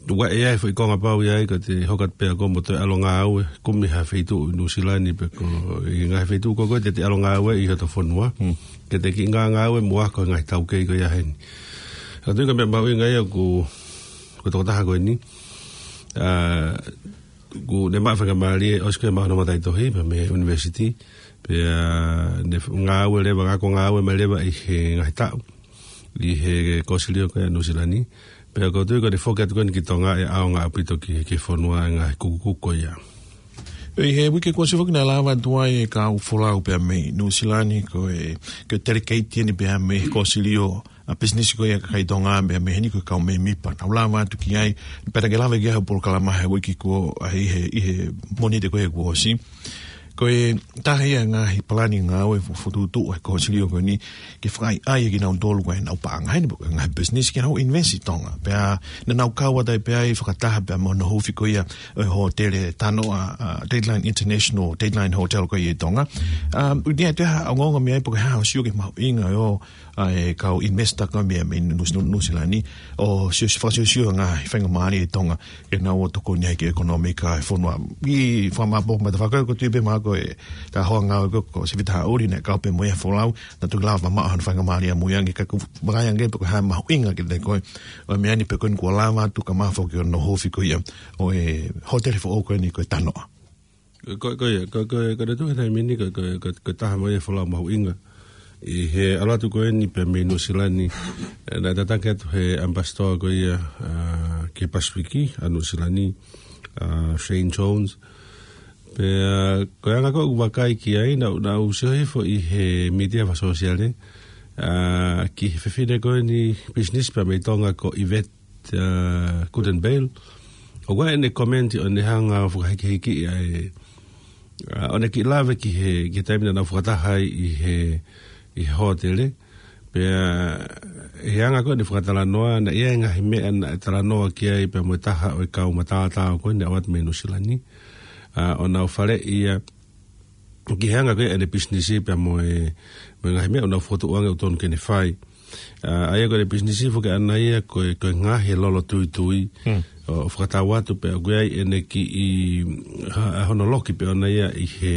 ʻoku ʻi ai foki konga pau ʻi ai, ko te hoko atu pē ʻa koe mo toe ʻalu ʻo ngāue, kumi ha feituʻu ʻi Nuʻusila ni pe ko e ngaahi feituʻu ko ē te te ʻalu ʻo ngāue ʻi hoto fonua. Hmm. Ke te kiʻi ngā-, ngāue mo ako ngaahi taukei ko ia heni. Ka tui ko e meʻa mahuʻinga ia ʻoku, ko e tokotaha ko eni. ʻA, ʻoku ne maʻu faingamālie, ʻosi ko ē maʻu hono mataʻitohi, pea mei he university. Pea ne f-, ngāue leva, ngāue ko ē ngāue mai leva ʻi he ngaahi taʻu. ʻI he kōsilio ko ē ʻa Nuʻusila ni. Pea ʻoku ou tui ko ʻene foki atu ko eni ki Tonga ʻe ʻaonga ʻaupito ki, ki he fonua ʻa e ngaahi kukukuku ko ia. ʻI he uike kuo ʻosi foki naʻe lava atu ai e kau folau pea mei Nuʻusila ni ko e, ko e delegate eni pea mei he kōsilio ʻa pisinisi ko ia ʻa e kakai Tonga pea mei heni ko e kau mēmipa. Naʻa nau lava atu ki ai, pea naʻe lava ki ai ha polokalama he uike kuo, ʻa, ʻi he, ʻi he Mōnite ko ē kuo ʻosi. Ko e taha ia ngaahi palani ngāue fo-, fokotuʻutuʻu ʻa e kōsilio ko eni ke fakaʻaiʻai kinautolu ko ē ʻenau paʻanga heni pe ko e ngaahi pisinisi ke nau invest ʻi Tonga. Pea naʻa nau kau atu ai pea ʻi he fakataha pea mo hono huufi ko ia ʻo e hōtele Tanoa, ʻa, Deadline International, Deadline Hotel ko ia ʻi Tonga. ʻA, ʻoku ʻi ai ha ongoongo mei ai pe ko e hā hoʻo sio ki he mahuʻinga ʻo ʻa e kau investor ko ē mei, mei Nuʻu-, Nuʻusila ni, ʻo sio, fakasiosio ngaahi faingamālie ʻi Tonga, ke nau ō ʻo tokoni ai ki he ʻekonōmika ʻa e fonua. ʻI he fakamāʻopoʻopo mai ʻa e tafaʻaki ko ē, ko e tui pē maʻa koe, ʻa e hoa ngāue ko ē, ko Sivita Haʻuli, naʻe kau pē mo ia he folau, naʻa tau lava mamaʻo hono faingamālie ʻamui ange, ka ʻoku ou vakai ange pe ko e hā e mahuʻinga kiate koe ʻo e meʻa ni pe ko eni kuo lava atu ka mafoki hono huufi ko ia ʻo e hōtele foʻou ko eni ko e Tanoa. Ko, ko ia, ko, ko, ko e tuʻu he taimi ni, ko, ko, ko, ko e taha mai e folau mahuʻinga. ʻI he ʻalu atu ko eni pea mei Nuʻusila ni, ʻe, naʻe tataki atu he ambassador ko ia, ʻa, ki he Pasifiki, ʻa Nuʻusila ni, ʻa, Shane Jones. Pea, ko e anga ko ē ʻoku vakai ki ai, naʻa, naʻa ku sio hifo ʻi he mītia fakasōsiale, ʻa, ki he fefine ko eni pisinisi pea mei Tonga ko Yvette ʻa, Goodenbeil. ʻOku ʻi ai ʻene komeni ʻo ne hanga ʻo fakahikihiki ʻa e, ʻa, ʻo ne kiʻi lave ki he, ki he taimi naʻa nau fakataha ai ʻi he, ʻi he hōtele. Pea, he anga ko ē ʻene fakatalanoa, naʻe ʻi ai e ngaahi meʻa naʻe talanoa ki ai pea mo e taha ʻo e kau matātao ko eni naʻe ʻoatu mei Nuʻusila ni. ʻA, ʻo nau faleʻi ia, ki he anga ko ē ʻene pisinisi pea mo e, mo e ngaahi meʻa ʻoku nau fokotuʻu ange ʻoku totonu ke ne fai. ʻA, ʻa ia ko ʻene pisinisi foki ʻaʻana ia ko e, ko e ngaahi lolo tuitui. Hmm. ʻO, ʻo fakatau atu pea ʻoku ʻi ai ʻene kiʻi, ha, hono loki pē ʻoʻona ia ʻi he,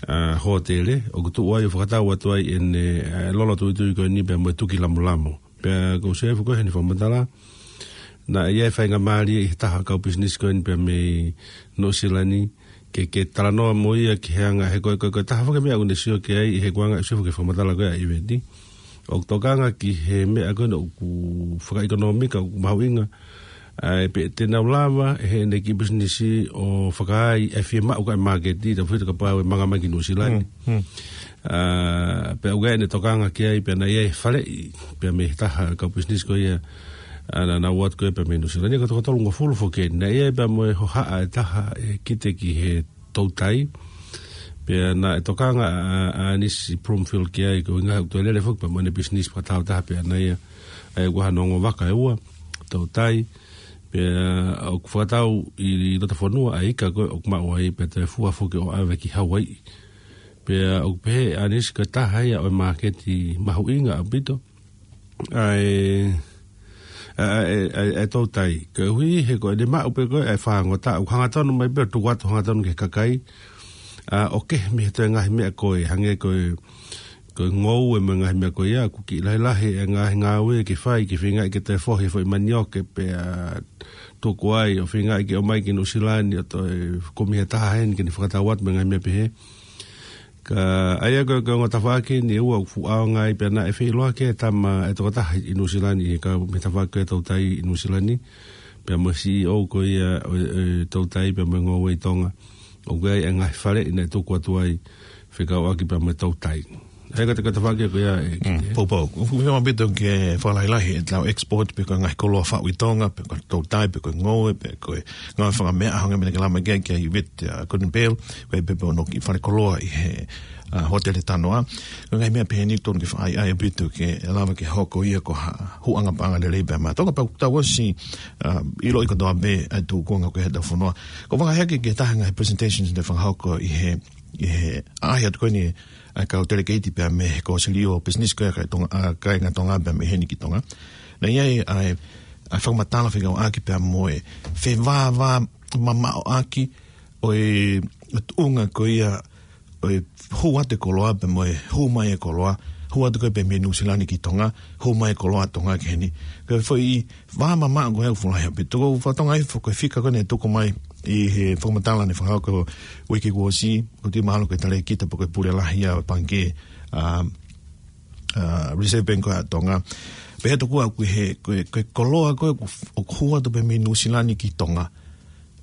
ʻa, hōtele. ʻOku tuʻu ai ʻo fakatau atu ai ʻene, ʻa, lolo tuitui ko eni pea mo e tuki lamulamo. Pea ʻoku ou sio hifo ko ē heʻene fakamatala, naʻe ʻi ai e faingamālie ʻi he taha kau pisinisi ko eni pea mei Nuʻusila ni, ke, ke talanoa mo ia ki he anga he ko e, ko e, ko e taha foki e meʻa ʻoku ne sio ki ai ʻi he kuonga ʻoku sio foki he fakamatala ko ē ʻa Yvette. ʻOku tokanga ki he meʻa ko ē ʻoku fakaʻekonōmika, ʻoku mahuʻinga. ʻA e pe te nau lava, ʻe heʻene kiʻi pisinisi ʻo fakaai e fiemaʻu ko ē ʻa e māketi, tau fita kapau ʻe manga mai ki Nuʻusila ni. Hmm, hmm. ʻA, pea ʻoku ʻi ai ʻene tokanga ki ai, pea naʻe ʻi ai e faleʻi, pea mei he taha kau pisinisi ko ia, ʻa, naʻa nau ō atu ko ē pea mei Nuʻusila ni, ko e toko tolungofulu foki eni. Naʻe ʻi ai pea mo e hohaʻa ʻe taha ʻe kite ki he toutai. Pea naʻe tokanga ʻa, ʻa, ʻa ʻAnisi Broomfield ki ai, ko e ʻuhinga ʻoku toe lele foki pea mo ʻene pisinisi fakataautaha pē ʻaʻana ia, ʻa ia ʻoku ʻi ai hano ongo vaka ʻe ua, toutai. Pea ʻoku fakatau ʻi loto fonua ʻa e ika ko ē ʻoku maʻu ai pea toe fua foki ʻo ʻave ki Hauaiʻi. Pea ʻoku pehē ʻe ʻAnisi ko e taha ia ʻo e māketi mahuʻinga ʻaupito ʻa e, ʻa e, ʻa e, ʻa e toutai. Koeʻuhi he ko ʻene maʻu pē ko ē ʻa e fāngota, ʻoku hangatonu mai pē ʻo tuku atu hangatonu ki he kakai, ʻa, ʻo kehe mei he toe ngaahi meʻa ko ē, hangē ko e, ko e ngoue mo e ngaahi meʻa ko ia, ʻoku kiʻi lahilahi e ngaahi ngāue ke fai, ke feingaʻi ke toe fohi e foʻi manioke pea tuku ai, ʻo feingaʻi ke ʻomai ki Nuʻusila ni ʻo toe kumi he taha heni ke ne fakatau atu mo e ngaahi meʻa pehē. Ka ʻa ia ko e, ko e ongo tafaʻaki eni ʻe ua ʻoku fuʻu ʻaonga ai pea naʻe feʻiloaki e tama e tokotaha ʻi Nuʻusila ni, ʻi he kau mei he tafaʻaki ko ē toutai ʻi Nuʻusila ni, pea mo e C E O ko ia ʻo e, ʻo e toutai pea mo e ngoue ʻi Tonga. ʻOku ʻi ai e ngaahi faleʻi naʻe tuku atu ai fekauʻaki pea mo e toutai. He ko e, ko e tafaʻaki ko ia, ē, Mm, ē. Poupou. ʻOku fiemaʻu ʻaupito ke fakalahilahi ʻetau export pe ko e ngaahi koloa faʻu ʻi Tonga, pe ko e toutai, pe ko e ngoue, pe ko e ngaahi fanga meʻa, hangē ko e meʻa naʻe lave ki ai ʻa Yvette, ʻa Gordon Bell, ko e pē pē ʻoku nau kiʻi fale koloa ʻi he, ʻa, hōtele Tanoa. Ko e ngaahi meʻa pehē ni tonu ke fai ai ʻaupito ke lava ke hoko ia ko ha huʻanga paʻanga lelei pē maʻa Tonga pea ʻoku tau ʻosi, ʻa, ʻiloʻi kotoa pē ʻa e tūkunga ko ē heʻetau fonua. Ko e fakahā ki he taha e ngaahi presentations naʻe fakahoko ʻi he, ʻi he ʻaʻahi atu ko eni ʻa e kau delegeiti pea mei he Kōsilio Pisinisi ko ia ʻa e Tonga, ʻa e kāinga Tonga pea mei heni ki Tonga. Naʻe ʻi ai ʻa e, ʻa e fakamatala fekauʻaki pea mo e fevāvāmamaʻo ʻaki ʻo e, ʻo e tuʻunga ko ia ʻo e hū atu e koloa pea mo e hū mai e koloa, hū atu ko ē pē mei Nuʻusila ni ki Tonga, hū mai e koloa Tonga ki heni. Ko e foʻi vāmamaʻo ko ē ʻoku fuʻu lahi ʻaupito. Ko e fakatonga ʻi he fo-, ko e fika ko ē naʻe tuku mai ʻi he fakamatala naʻe fakahoko uike kuo ʻosi, ʻoku ou tui mahalo ko e talēkita pe ko e pule lahi ʻa e pangikē, ʻa, ʻa, Reserve Bank ko ē ʻa Tonga. Pehē tokua ko e, ko e, ko e koloa ko ē ʻoku, ʻoku hū atu pē mei Nuʻusila ni ki Tonga,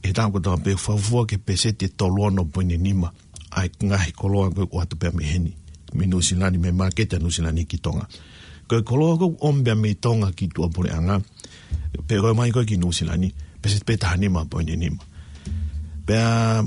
ʻe taʻu kotoa pē fuofua ki he pēseti ʻe tolu ono poini nima ʻa e ngaahi koloa ko ē ʻoku ʻoatu pē mei heni, mei Nuʻusila ni, mei he māketi ʻa Nuʻusila ni ki Tonga. Ko e koloa ko ē ʻoku ʻomi pē mei Tonga ki tuʻapuleʻanga, pe ko e ō mai ko ē ki Nuʻusila ni, pēseti pē taha nima poini nima. Pea,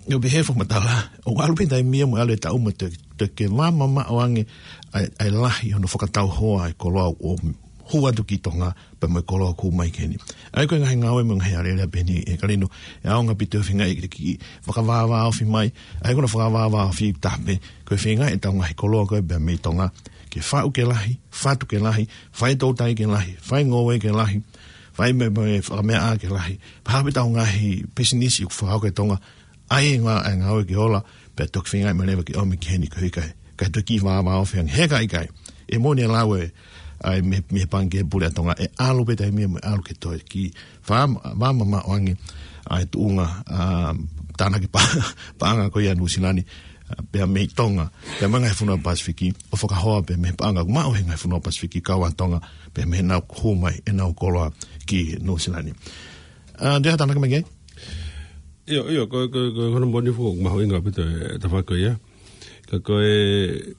ʻio, pehē fakamatala, ʻoku ʻalu pē taimi ia mo e ʻalu e taʻu mo e toe, toe ke vāmamaʻo ange ʻa e, ʻa e lahi hono fakatauhoa e koloa ʻoku hū atu ki Tonga, pea mo e koloa ʻoku hū mai ki heni. ʻA ia ko e ngaahi ngāue mo e ngaahi alēlea pehē ni, ʻe Kalino, ʻe ʻaonga ʻaupito e feinga ke kiʻi fakavāvāofi mai. ʻA ia ko hono fakavāvāofi taha pē, ko e feinga ʻetau ngaahi koloa ko ē pē mei Tonga ke faʻu ke lahi, fatu ke lahi, fai toutai ke lahi, fai ngoue ke lahi, fai mo e, mo e fakameaʻa ke lahi. Pea hā pē ʻetau ngaahi pisinisi ʻoku fakahoko ʻi Tonga, ʻa ia ngā, ʻa e ngāue ke ola, pea toki feinga mai leva ke ʻomi ki heni ko e ʻikai, kae toe kiʻi vāvāofi ange, he ka ʻikai. ʻE moʻoni e lau ē, ʻa e mei, mei he Pangikē Pule ʻa Tonga, ʻe ʻalu pē taimi ia mo e ʻalu ke toe kiʻi vā, vāmamaʻo ange ʻa e tuʻunga, ʻa, tānaki pa-, paʻanga ko ia ʻa Nuʻusila ni, ʻa, pea mei Tonga, pea mei he ngaahi fonua Pasifiki, ʻo fakahoa pē mei he paʻanga ʻoku maʻu he ngaahi fonua Pasifiki kau ai ʻa Tonga, pea mei heʻenau hū mai ʻenau koloa ki Nuʻusila ni. ʻA, Andrea, tānaki mai ki ai? ʻIo, ʻio, ko, ko, ko, ko hono moʻoni foki ʻoku mahuʻinga ʻaupito e tafaʻaki ko ia. Ka ko e,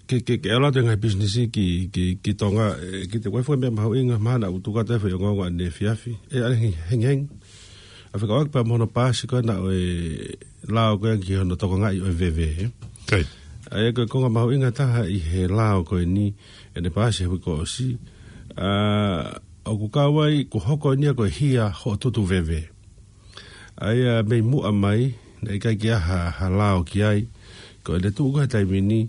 ke, ke, ke ʻalu atu e ngaahi pisinisi ki, ki, ki Tonga, ē, kiate au ko e foʻi meʻa mahuʻinga, mahalo ʻoku tuku atu e foʻi ongoongo ʻaneefiafi, ē, ʻanehengihengi. ʻA fekauʻaki pea mo hono paasi ko ena ʻo e lao ko ē ki hono tokangaʻi ʻo e veve, ē. Kai. ʻA ia ko e konga mahuʻinga taha ʻi he lao ko eni, ʻene paasi he uike kuo ʻosi, ʻa, ʻoku kau ai, kuo hoko eni ia ko e hia hoʻo tutu veve. ʻA ia mei muʻa mai, naʻe ʻikai ke ʻi ai ha, ha lao ki ai, ko ʻene tuʻu ko ē he taimi ni,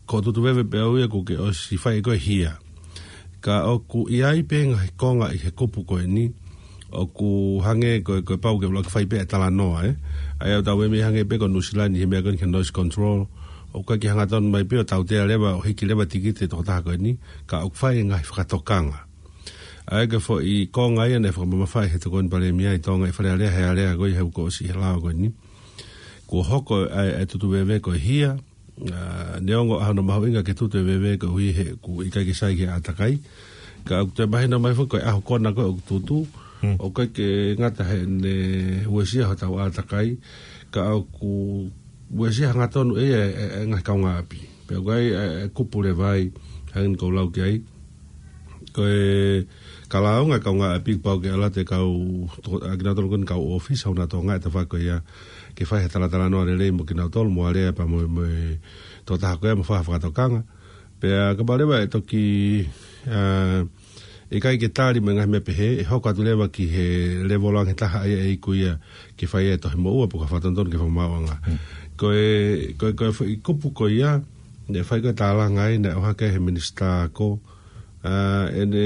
ko hoʻo tutu veve pē ʻaʻau ia kuo ke ʻosi fai ko ē hia. Ka ʻoku ʻi ai pē ngaahi konga ʻi he kupu ko eni, ʻoku hangē ko e, ko e pau ke ʻuluaki fai pē ʻa e talanoa, ē. ʻA ia ʻoku tau meimei hangē pē ko Nuʻusila ni he meʻa ko eni ki he noise control, ʻoku ʻikai ke hangatonu mai pē ʻo tautea leva, ʻo hiki leva tikite e tokotaha ko eni, ka ʻoku fai e ngaahi fakatokanga. ʻA ia ko e foʻi konga ia naʻe fakamamafaʻi he Tokoni Palēmia ʻi Tonga ʻi Fale Alea he alea ko ē he uike kuo ʻosi he lao ko eni. Kuo hoko ʻa e, ʻa e tutu veve ko e hia, ʻa, neongo ʻa hono mahuʻinga ke tutu e veve koeʻuhi he ʻoku ʻikai ke sai ki he ʻātakai. Ka ʻoku toe mahino mai foki ko e ʻaho kona ko ē ʻoku tutu, Hmm. ʻoku ʻikai ke ngata heʻene uesia hotau ʻātakai, ka ʻoku uesia hangatonu ʻe ia e, e, e ngaahi kaungāʻapi. Pea ʻoku ʻi ai e, e kupu leva ai, hangē ko ʻeku lau ki ai. Ko e ka lāunga e kaungāʻapi kuo pau ke ʻalu atu e kau, to-, ʻa kinautolu ko eni kau ʻōfisa ʻo Tonga ʻi he tafaʻaki ko ia ke fai ha talatalanoa lelei mo kinautolu mo Alea pea mo, mo e tokotaha ko ia mo fai ha fakatokanga. Pea kapau leva ʻe toki, ʻa, ʻikai ke tali mo e ngaahi meʻa pehē, ʻe hoko atu leva ki he lēvolo ange taha ʻa ia ʻe iku ia ke fai e tohi moʻua pe ko ha fakatonutonu ki he fakamaauʻanga. Hmm. Ko e, ko e, ko e foʻi kupu ko ia, naʻe fai ko ē tālanga ai, naʻe ʻohake he minisitā ako, ʻa, ʻene,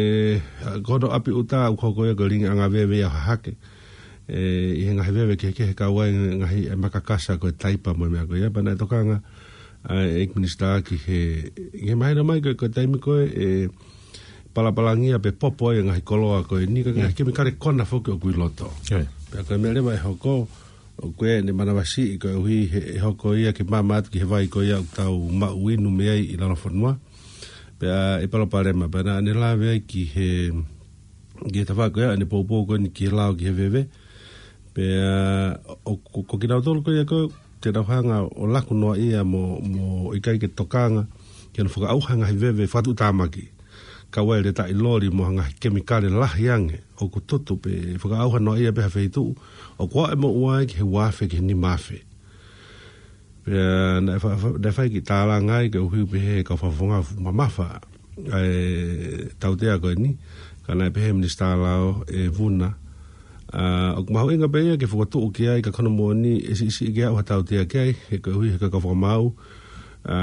ʻa, ko hono ʻapi ʻuta ʻoku hoko ia ko e lilingiʻanga veve ia ʻo hahake. Ē, ʻi he ngaahi veve kehekehe kau ai ngaahi e makakasa ko e taipa mo e meʻa ko ia, pea naʻe tokanga ʻa e ʻEiki Minisitā ki he, ki he mahino mai ko e, ko e taimi ko ē, ʻe palapalangia pe popo ai e ngaahi koloa ko eni, ka ngaahi Mm. kemikale kona foki ʻoku ʻi loto. Ē. Pea ko e meʻa leva ʻe hoko, ʻoku ʻi ai ʻene manavasiʻi koeʻuhi he, ʻe hoko ia ke maama atu ki he vai ko ia ʻoku tau maʻu inu mei ai ʻi lalo fonua. Pea ʻe palopalema, pea naʻa ne lave ai ki he, ki he tafaʻaki ko ia, ʻene poupou ko eni ki he lao ki he veve. Pea ʻo, ko, ko kinautolu ko ia ko te nau hanga ʻo laku noa ia mo, mo ʻikai ke tokanga ki hono fakaʻauha e ngaahi veve fakatuʻutāmaki. Kau ai e letaʻi loli mo ha ngaahi kemikale lahi ange ʻoku tutu pē fakaʻauha noa ia pē ha feituʻu, ʻoku ʻalu e moʻua ai ki he ua afe ki he nima afe. Pea naʻe fa-, fa-, naʻe fai e kiʻi tālanga ai koeʻuhi pē he kau fakafofonga mamafa ʻa e tautea ko eni, ka naʻe pehē ʻe he Minisitā Lao ʻe Vuna, ʻa, ʻoku mahuʻinga pē ia ke fokotuʻu ki ai, ka ko hono moʻoni ʻe siʻisiʻi ke aʻu ha tautea ki ai, he koeʻuhi he kau fakamaau, ʻa,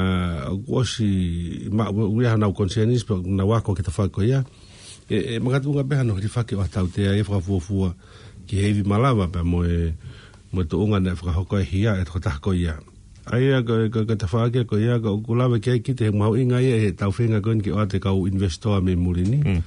ʻoku ʻosi maʻu, ʻoku ʻi ai hanau concerns, pea ʻoku nau ako ki he tafaʻaki ko ia. ʻE, ʻe makatuʻunga pē hano hilifaki ʻo ha tautea ia fakafuofua ki he ivi malava pea mo e, mo e tuʻunga naʻe fakahoko e hia e tokotaha ko ia. ʻA ia ko, ko, ko e tafaʻaki ko ia, ko ʻoku lave ki ai kita he mahuʻinga ia ʻetau feinga ko eni ke ʻoatu e kau investor mei muli ni. Mm.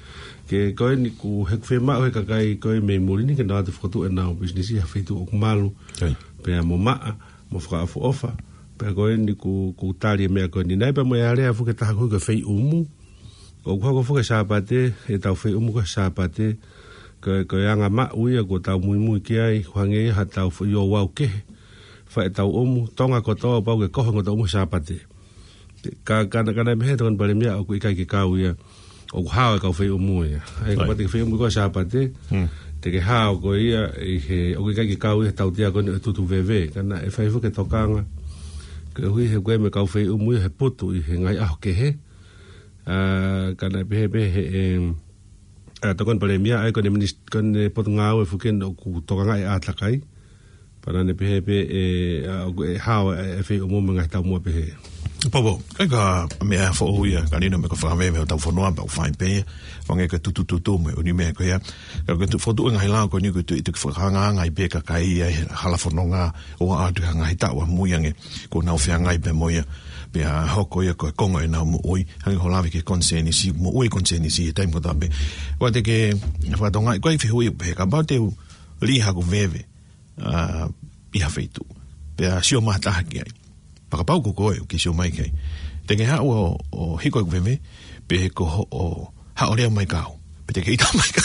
Ke ko eni ʻoku, he ʻoku fiemaʻu he kakai ko ē mei muli ni ke nau ʻoatu fokotuʻu ʻenau business ʻi ha feituʻu ʻoku malu. Kai. Pea mo maʻa, mo fakaʻofoʻofa. Pea ko eni ʻoku, ʻoku tali e meʻa ko eni. Naʻe pea mo e alea foki ʻe taha ko e feiʻumu. ʻOku hoko foki e Sāpate, ʻetau feiʻumu ko e Sāpate, ko, ko e anga maʻu ia ʻoku tau muimui ki ai, ʻoku hangē ia ha tau fo-, ʻi ʻo wau kehe, fai ʻetau ʻumu, Tonga kotoa pau ke koho e ngaahi ʻumu Sāpate. Ka, ka, ka naʻe pehē ʻe he Tokoni Palēmia ʻoku ʻikai ke kau ia, ʻoku hao e kau feiʻumu ia. ʻA ia, kapau te ke feiʻumu koe Sāpate, Hmm. te ke hao koe ia, ʻi he, ʻoku ʻikai ke kau ia he tautea ko eni ʻo e tutu veve. Ka naʻe fai foki e tokanga, koeʻuhi he ko e meʻa kau feiʻumu ia he putu ʻi he ngaahi ʻaho kehe, ʻa, ka naʻe pehē pē ʻe he, em, ʻa, Tokoni Palēmia, ʻa ia ko ʻene minis-, ko ʻene potungāue foki eni ʻoku tokangaʻi e ʻātakai. Pea naʻá ne pehē pē ʻe, ʻa, ʻoku ʻe hao e, e feiʻumu mo e ngaahi taumuʻa pehē. Popo, ʻa ia ko e meʻa foʻou ia, ka lino me ko e fakaveve ʻo hotau fonua, pea ʻoku fai pē ia, hangē ko e tutututu mo e ʻū meʻa ko ia. Ka ko e tu-, fokotuʻu e ngaahi lao ko eni ʻoku tuʻu, tuʻu ke fakaangaanga ai pē e kakai ia he hala fononga, ʻo aʻu atu ki he ngaahi taʻu ʻamui ange, kuo nau feangai pē mo ia, pea hoko ia ko e konga ʻenau moʻui, hangē ko hoʻo lave ki he konisēnisi, moʻui konisēnisi he taimi kotoa pē. ʻOua te ke fakatokangaʻi, ko e fehuʻi pē, kapau te u lī haʻaku veve, ʻa, ʻi ha feituʻu. Pea sio mai ha taha ki ai. Pea kapau ko koe ʻoku ke sio mai ki ai. Te ke haʻu ʻo, ʻo hiko ʻeku veve, pe ko hoʻo haʻu ʻo lea mai kiate au. Pe te ke ʻita mai ka,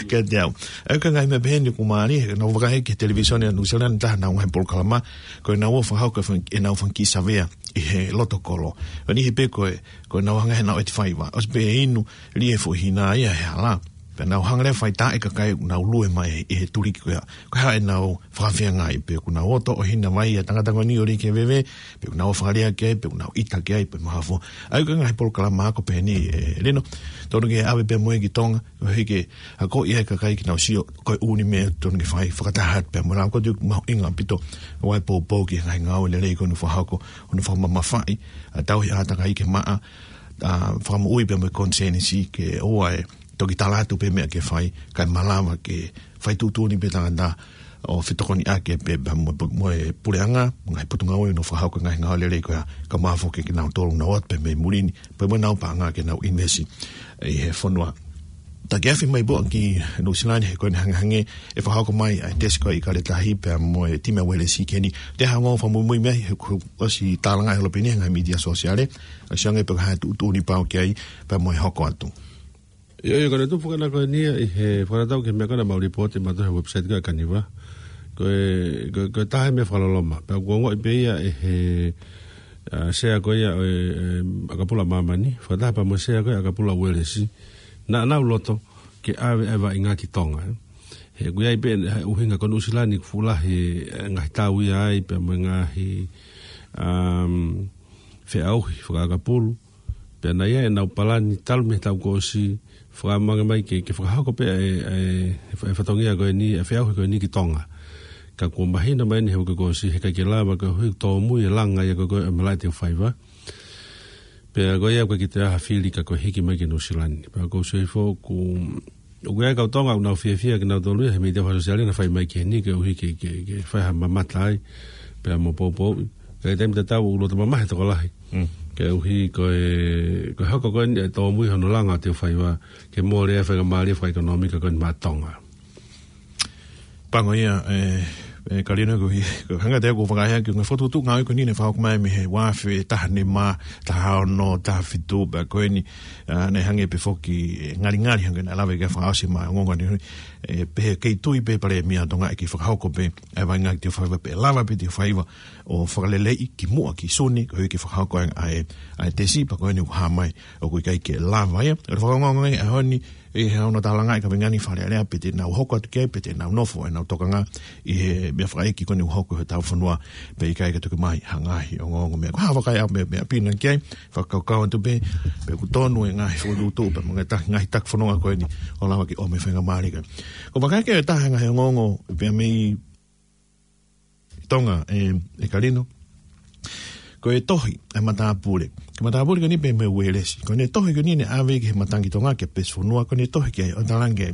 kiate au. ʻA ia ko e ngaahi meʻa pehē ni ʻoku mālie, he naʻá ku vakai ki he televīsone ʻa Nuʻusila ni, taha ʻenau ngaahi polokalama, ko ʻenau ō ʻo fakahoko e fanga-, ʻenau fanga kiʻi savea ʻi he loto kolo. ʻA ia ʻi he pē ko e, ko ʻenau hanga heʻenau ʻeti faiva. ʻOsi pē inu, lī e foʻi hina ia he hala. Pea nau hanga leva ʻo fai taʻe kakai ʻoku nau lue mai ʻi he tuliki ko ia. Ko e hā ʻenau fakafeangai, pe ʻoku nau ō ʻo toʻo hina mai ʻa e tangata ko eni ʻo lī ki he veve, pe ʻoku nau fakalea ki ai, pe ʻoku nau ʻita ki ai, pe mahafo. ʻA ia ko e ngaahi polokalama ako pehē ni, ʻe Lino, tonu ke ʻave pē mo ia ki Tonga, koeʻuhi ke akoʻi ai e kakai ke nau sio, ko e ʻū meʻa tonu ke fai fakataha atu pē mo e lao ko ē ʻoku mahuʻinga ʻaupito, ʻo ʻai e poupou ki he ngaahi ngāue lelei ko eni ʻoku fakahoko, ʻo fakamamafaʻi ʻa e tauhi ʻātakai ke maʻa, ʻa, fakamoʻui pē mo e konisēnisi ke ʻoua ʻe toki tala atu pē meʻa ke fai, kae malava ke fai tuʻutuʻuni pē tangata ʻo fetokoniʻaki pē pea mo, mo e puleʻanga, ngaahi potungāue ʻoku nau fakahoko e ngaahi ngāue lelei ko ia, kae ʻumaʻā foki kinautolu ʻoku nau ō atu pē mei muli ni, pea mo ʻenau paʻanga ke nau invest ʻi he fonua. Takiafi mai pē ki Nuʻusila ni he ko eni hangehangē ʻe fakahoko mai ʻa e tesi ko ia ʻi Kaletahi pea mo e timi ʻa Uelesi ki heni. Te u hanga ʻo fakamuimui mai he ʻoku ʻosi tālanga ʻe he Lopeni he ngaahi mītia sōsiale, ʻo sio ange pe ko e hā e tuʻutuʻuni pau ki ai pea mo e hoko atu. ʻIo, ʻio, ko ʻene tupu fakana ko eni ia ʻi he fakanatau ki he meʻa ko ena mau lipooti mautolu he website ko ē ʻa e Kaniva. Ko e, ko e, ko e taha e meʻa fakaloloma. Pea ʻoku ongoʻi pē ia ʻe he, ʻa, sea ko ia ʻo e, e, ʻakapulu ʻa māmani. Fakataha pea mo e sea ko ia ʻakapulu ʻa Uelesi. Naʻa nau loto ke ʻave ʻa e vaʻinga ki Tonga, ē. He ʻoku ʻi ai pē ʻa e ʻuhinga ko Nuʻusila ni ʻoku fuʻu lahi e ngaahi tau ia ai, pea mo e ngaahi, um, feʻauhi fakaʻakapulu. Pea naʻe ʻi ai ʻenau palani talu mei he taʻu kuo ʻosi, fakamange mai ke, ke fakahoko pē ʻa e, ʻa e, ʻa e fatongia ko eni, ʻa e feʻauhi ko eni ki Tonga. Ka kuo mahino mai eni he uike kuo ʻosi, heʻikai ke lava koeʻuhi ʻoku tōmui e langa ia ko ē ʻo e malaʻe teu faiva. Pea ko ia ʻoku ʻikai ke toe ʻi ai ha fili ka ko e hiki mai ki Nuʻusila ni. Pea ʻoku ou sio hifo ʻoku ʻOku ʻi ai e kau Tonga ʻoku nau fiefia kinautolu ia he mītia fakasōsiale naʻa nau fai mai ki heni koeʻuhi ke, ke, ke fai ha mamata ai, pea mo poupouʻi. Ka ʻi he taimi tatau ʻoku loto mamahi e tokolahi. Mm. Koeʻuhi ko e, ko e hoko ko eni e tōmui hono langa ʻo e teu faiva, ke mole e faingamālie fakaʻekonōmika ko eni maʻa Tonga. Pango ia, ē, ē, Kalino, ko e, ko e hanga atu ʻeku fakahā ki he ngaahi fokotuʻutuʻu ngāue ko eni naʻe fakahoko mai mei he ua afe taha nima, taha ono, taha fitu, pea ko eni, ʻa, naʻe hangē pē foki, ē, ngalingali hangē naʻe lave ki ai e fakaʻosi mai ʻo e ongoongo ni. ʻE pehē kei tui pē Palēmia ʻo Tonga ʻe kei fakahoko pē ʻa e vaʻinga ki Teufaiva, pea lava pē Teufaiva ʻo fakaleleiʻi kimuʻa ki Sune, koeʻuhi ke fakahoko ʻa e, ʻa e, ʻa e tesi, pea ko eni ʻoku hā mai ʻoku ʻikai ke lava ia. ʻE fakaongoongo ange ʻa e ʻaho ni, ʻe he ʻaho ni tālanga ʻa e kaveinga ni Fale Alea, pe te nau hoko atu ki ai, pe te nau nofo ʻenau tokanga ʻi he meʻa fakaʻeiki ko eni ʻoku hoko he taʻu fonua, pea ʻikai ke tuku mai ha ngaahi ongoongo meʻa. Ko e hā ha vakai ʻa e meʻa, meʻa pina ki ai, fakakaukau atu pē, pe ʻoku tonu e ngaahi fokotuʻutuʻu, pea mo e ngaahi ta-, ngaahi taki fononga ko eni, ʻo lava ke ʻomai e faingamālie ko ē. Ko e vakai ki he taha e ngaahi ongoongo, pea mei Tonga, ʻe, ʻe Kalino. Ko e tohi ʻa e matāpule. Ko e matāpule ko eni pea mo e uelesi. Ko ʻene tohi ko eni naʻe ʻave ki he Matangi Tonga ki he Pesi Fonua, ko ʻene tohi ki ai ʻo talaange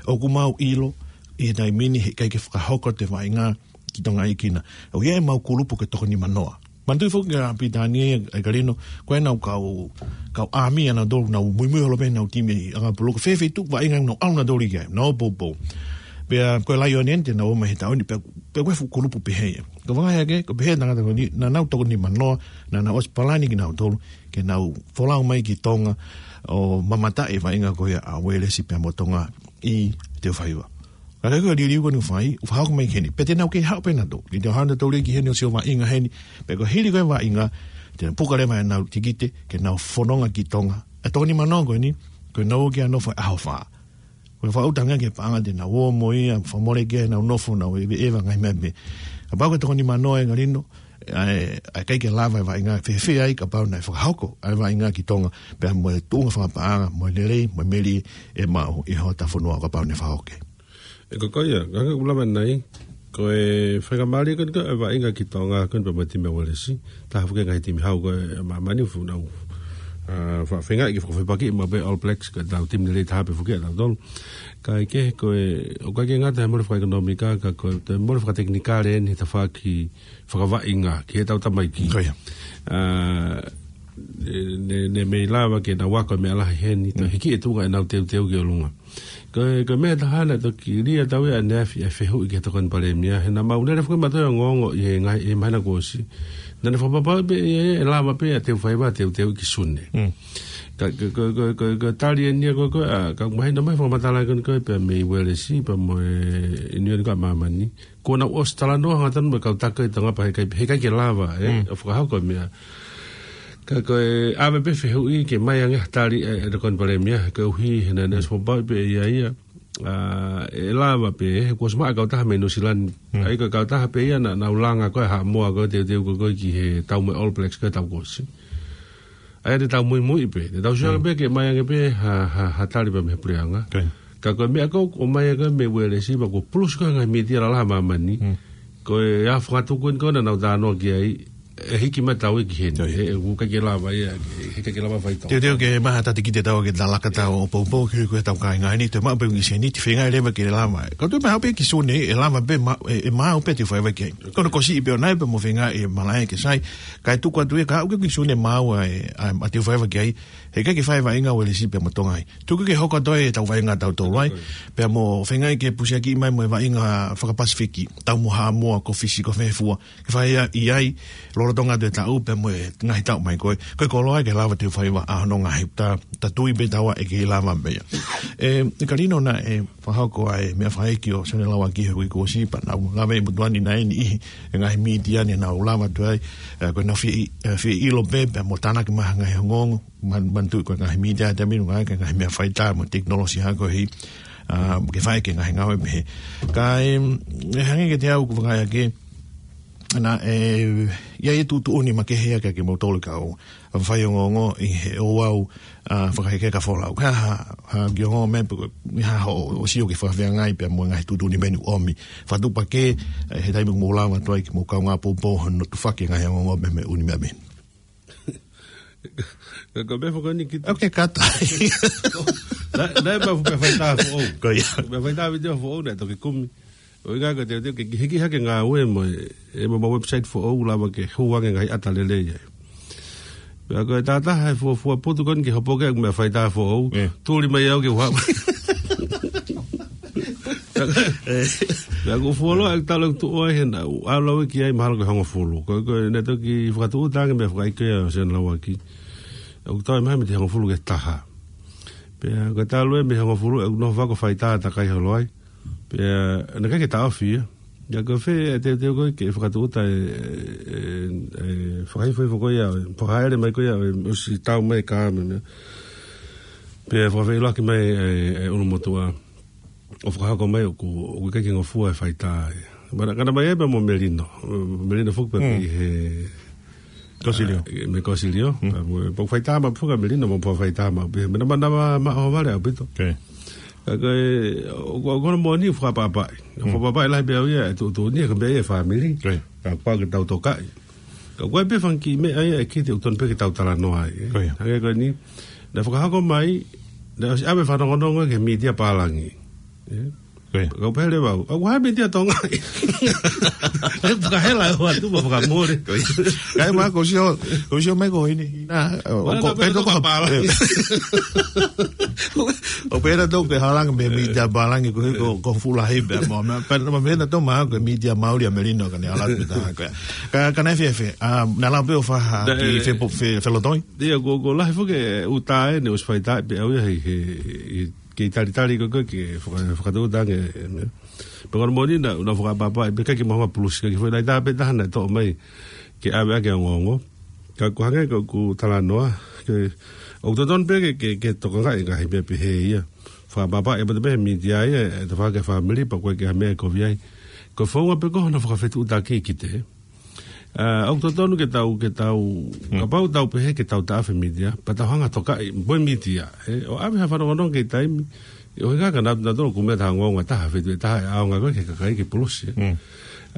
ʻoku mau ʻilo ʻi he taimi ni he ʻikai ke fakahoko atu e vaʻinga ki Tonga ʻi Kina. ʻOku ʻi ai ʻemau kulupu ko e toko nimanoa. Manatuʻi foki ʻa Pilitānia, ʻe Kalino, ko ʻenau kau, kau ʻāmi ʻanautolu, nau muimui holo pē ʻenau timi ʻi ʻApuloko, fēfē tuʻu vaʻinga nau ʻalu nautolu ki ai, nau poupou. Pea ko e Lion Ant naʻa nau ō mai he taʻu ni, pea, pea ko e fuʻu kulupu pehē ia. Ko e vakai hake, ko e pehē ʻa e tangata ko eni, naʻa nau toko nimanoa, naʻa nau ʻosi palani kinautolu ke nau folau mai ki Tonga ʻo mamata e vaʻinga ko ia ʻa Uelesi pea mo Tonga ʻi Teufaiva. Ka ko e liliu ko eni ʻoku fai, ʻoku fakahoko mai ki heni. Pea te nau kei haʻu pē nautolu. Ke te haʻu nautolu ki heni ʻo sio vaʻinga heni. Pea ko e hili ko ē vaʻinga, te nau puka leva ʻenau tikite, ke nau fononga ki Tonga. ʻE toko nimanoa ko eni, ko ʻenau ō ki ai ʻo nofo he ʻaho fā. Ko e fakaʻuta ange ki he paʻanga te nau ō mo ia, fakamole ki ai ʻenau nofo, nau eveʻeva ngaahi meʻa pē. Kapau ko e toko nimanoa ʻe Kalino, ʻa e, ʻa e ʻikai ke lava e vaʻinga, fēfē ai kapau naʻe fakahoko ʻa e vaʻinga ki Tonga, pea mo e tuʻunga fakapaʻanga, mo e lelei, mo e melie ʻe maʻu ʻi hota fonua kapau naʻe fakahoko. ʻE ko ia, ka ʻoku lava nai, ko e faingamālie ko eni ko e vaʻinga ki Tonga ko eni pea mo e timi ʻa Uelesi, taha foki e ngaahi timi hau ko ē ʻa māmani ʻoku nau, ʻa, fa-, feingaʻi ke fakafepakiʻi maʻu pē All Blacks, ko ʻetau timi lelei taha pē foki ʻatautolu. Kae kehe ko e, ʻoku ʻikai ke ngata he mole fakaʻekonōmika, ka ko e, te mole fakatekinikale eni he tafaʻaki fakavaʻinga ki heʻetau tamaiki. Ko ia. ʻA, ne, ne, ne mei lava ke nau ako e meʻa lahi heni, to Mm. hiki e tuʻunga ʻenau teuteu ki ʻolunga. Ko e, ko e meʻa ʻe taha naʻe toki lea atu ai ʻaneafi ʻa e fehuʻi ki he Tokoni Palēmia, he naʻa mau lele foki mautolu ʻo ongoongo ʻi he ngaahi, ʻi he māhina kuo ʻosi. Naʻa ne fakapapauʻi pē ʻe, ʻe, ʻe lava pē ʻa Teufaiva ʻo teuteuʻi ki Sune. Mm. Ka, ka, ka, ka, ka, ka tali eni ia ko ē, ko ē, ʻa, ka mahino mai fakamatala ko eni ko ē pea mei Uelesi, pea mo e, ʻiunioni ko ē ʻa māmani. Kuo nau ʻosi talanoa hangatonu mo e kau taki ʻi Tonga pea heʻikai, heʻikai ke lava, ē, Mm. ʻo fakahoko e meʻa. Ka ko e ʻave pē fehuʻi ke ʻomai ange ha tali ʻe, ʻe he Tokoni Palēmia, koeʻuhi he naʻa ne Mm. ʻosi fakapapauʻi pē ʻe ia ia, ʻa, ʻe lava pē, he kuo ʻosi maʻu e kautaha mei Nuʻusila ni. Mm. ʻA ia ko e kautaha pē ia naʻa, naʻa nau langa ko ē ʻa Haʻamoa ko ē ʻo teuteu ko ē ki he tau mo e All Blacks ko ē he taʻu kuo ʻosi. ʻA ia te tau muimui pē, te tau sio Mm. pē ke ʻomai ange pē ha, ha, ha tali pē mei he puleʻanga. Ko ia. Ka ko e meʻa ko ē ʻoku ʻomai ko ē mei Uelesi pea kuo pulusi ko ē ngaahi mītia lalahi ʻa māmani. Mm. Ko e ʻa e fakatuku eni ko ē naʻa nau talanoa ki ai, ʻe hiki mai tau ʻi heni. Ko ia. ʻE, ʻe, ʻoku ʻikai ke lava ia, ʻe, ʻikai ke lava faitō. Teuteu ke maha tata ki te tau ke talaka tau ʻo poupou ki ko e tau kāinga ni, te maʻu pē ʻū sēniti, feinga leva ke lava. Ka te maʻu pē ki Sune, ʻe lava pē ma-, ʻe, ʻe maʻu pē Teufaiva ki ai. Ko hono kosipē ʻo nai pea mo feinga ʻe malaʻe ke sai. Kae tuku atu ē ka ʻoku ke ki Sune maʻu ʻa e, ʻa e, ʻa Teufaiva ki ai. Heʻikai ke fai vaʻinga Uelesi pea mo Tonga ai. Tuku ke hoko atu ʻetau vaʻinga ʻatautolu ai. Pea mo feinga ke pusiaki mai mo e vaʻinga fakapasifiki. Tau mo Haʻamoa, ko Fisi, ko fē fua. Ke fai ia ʻi ai, lolotonga atu e taʻu, pea mo e ngaahi taʻu mai ko ē. Ko e koloa ke lava Teufaiva ʻa hono ngaahi ta, ta tui pē taua ʻe kei lava pē ia. ʻE, ʻe Kalino naʻe fakahoko ʻa e meʻa fakaʻeiki ʻo Sione Lauaki he uike kuo ʻosi pea nau lave ʻi motuʻa ni naʻe ʻi ai e ngaahi mītia ni naʻa nau lava atu ai, ʻe, ko ʻenau fie, ʻe, fie ʻilo pē, pea mo tānaki mai ha ngaahi ongoongo, man-, manatuʻi ko e ngaahi mītia he taimi ni ʻoku ʻi ai e ngaahi meʻa faitā mo e tekinolosia ko ē, ʻa, ke fai ki he ngaahi ngāue pehē. Ka, ʻe, ʻe hangē kiate au ʻoku ou vakai hake, naʻe, ʻi ai e tuʻutuʻuni makehe ia kiate kimoutolu kau faiongoongo ʻi he ouau, ʻa, fakahekeheka folau. Ka ha, ha kiʻi ongoongo mai pē ko e, ʻi ha ho, ʻo sio ki he fakafeangai pea mo e ngaahi tuʻutuʻuni mei ʻomi. Fakatuʻupakē, ʻe, he taimi ʻoku mou lava atu ai ke mou kaungā poupou hono tufaki e ngaahi ongoongo mei he ʻū meʻa pehē ni. Ko e meʻa foki eni ki te. ʻOku ke kata. Naʻe, naʻe pau pē faitā foʻou. Ko ia. Pē faitā vitiō foʻou naʻe toki kumi. ʻO ʻikai ko e teuteu ke hiki hake ngāue mo e, ʻe mo e website foʻou lava ke hū ange ngaahi ʻata lelei ai. Pea ko e taha e fuofua putu ko eni ke hopo ki ai ʻeku meʻa faitā foʻou. ʻE. Tuli mai au ke u haʻu. Pea ko e fuoloa ʻeku tala ʻeku tuʻu ai hena, ʻalu au ki ai mahalo ko e hongofulu. Ko e, ko e naʻe toki fakatuʻuta ange meʻa fakaʻeiki ʻa Sione Lauaki. ʻOku toe maha mei he hongofulu ki he taha. Pea ko e talu ē mei he hongofulu, ʻeku nofo ʻo faitā takai holo ai. Pea naʻe ʻikai ke taʻofi ia. Ia ko e fē e teuteu ko ē ke fakatūʻuta e, e, e, fakahifo ko ia, pō haʻele mai ko ia, e, ʻosi tau mai ka mene. Pea fakafeʻiloaki mai e, e ʻulumotuʻa. ʻO fakahoko mai ʻoku, ʻoku ʻikai ke ngofua e faitā ia. Mana, kana mai e pea mo Melino. Melino foki pē Mm. ʻi he Kosilio. Ah, me Kosilio. Mm. Ah, mo, pau faitā ma fuka Melino mo pau faitā ma. Pea mena mana ma, ma o vale ʻaupito. Okay. Ka ko e, ʻo, ʻo, ʻo, ko hono moʻoni ʻoku fakaʻapaʻapaʻi. Mm. Fakaʻapaʻapaʻi lahi pē au ia, e tuʻutuʻuni, ka meʻa ia e fāmili. Okay. Ka ko e pē fanga kiʻi meʻa ia ʻe kite ʻoku totonu pē ke tau talanoa ai. Okay. Hangē ko eni, naʻe fakahoko mai, naʻe ʻosi ʻave fanongonongo ki he mītia pālangi. Eh? Ko ia. Kau pehē leva au, ʻoku ʻi ai e mītia Tonga. E fakahela e hoa tu ma fakamole. Ko ia. Kae ma ko sio, ko sio mai ko eni. Nā, ʻo, Mana ko, ka pehē ko, ko, pālangi. Eh. ʻO pehē tau ke halanga mei he mītia pālangi ko, ko, ko fulahi pē mo, ma, pehē, ma pehē tau ma ko e mītia Mauli ʻa Melino ka ne hala pē tā ko. Ka, ka naʻe fēfē, ah, naʻa lau pē ʻo faha, Naʻe ki fe, fe, felotoi. Ia, ko, ko lahi foki e ʻuta ʻeni, ʻosi faitā pē au ia he, he, he kei talitali ko ē ke faka-, fakatūʻuta ange, e, meʻa. Pea ko hono moʻoni naʻa, naʻa fakaʻapaʻapaʻi, pea ʻikai ke mahuʻinga pulusi, ʻikai ke foʻi naʻe tā pē taha naʻe toʻo mai ke ʻave ʻaki e ongoongo. Ka ko e hangē ko ʻeku talanoa, ke, ʻoku totonu pē ke, ke, ke tokangaʻi e ngaahi meʻa pehē ia. Fakaʻapaʻapaʻi ʻaupito pē he mītia ia, e tafaʻaki e fāmili, pea ʻoku ʻikai ke ʻi ai ha meʻa ʻe kovi ai. Ko e founga pē ko hono fakafetuʻutaki ki te. Ah, ʻoku totonu ke tau, ke tau, Mm. kapau tau pehē ke tau taʻofi e mītia, pea tau hanga ʻo tokaʻi, mo e mītia, eh, ʻo ʻave ha fanongonongo ki he taimi, ʻo hangē ka naʻa, naʻa tau kumi ha ongoongo ʻa ha taha, fetuʻu ʻe taha, ʻaonga ko ē ki he kakai ke pulusi, eh. Mm.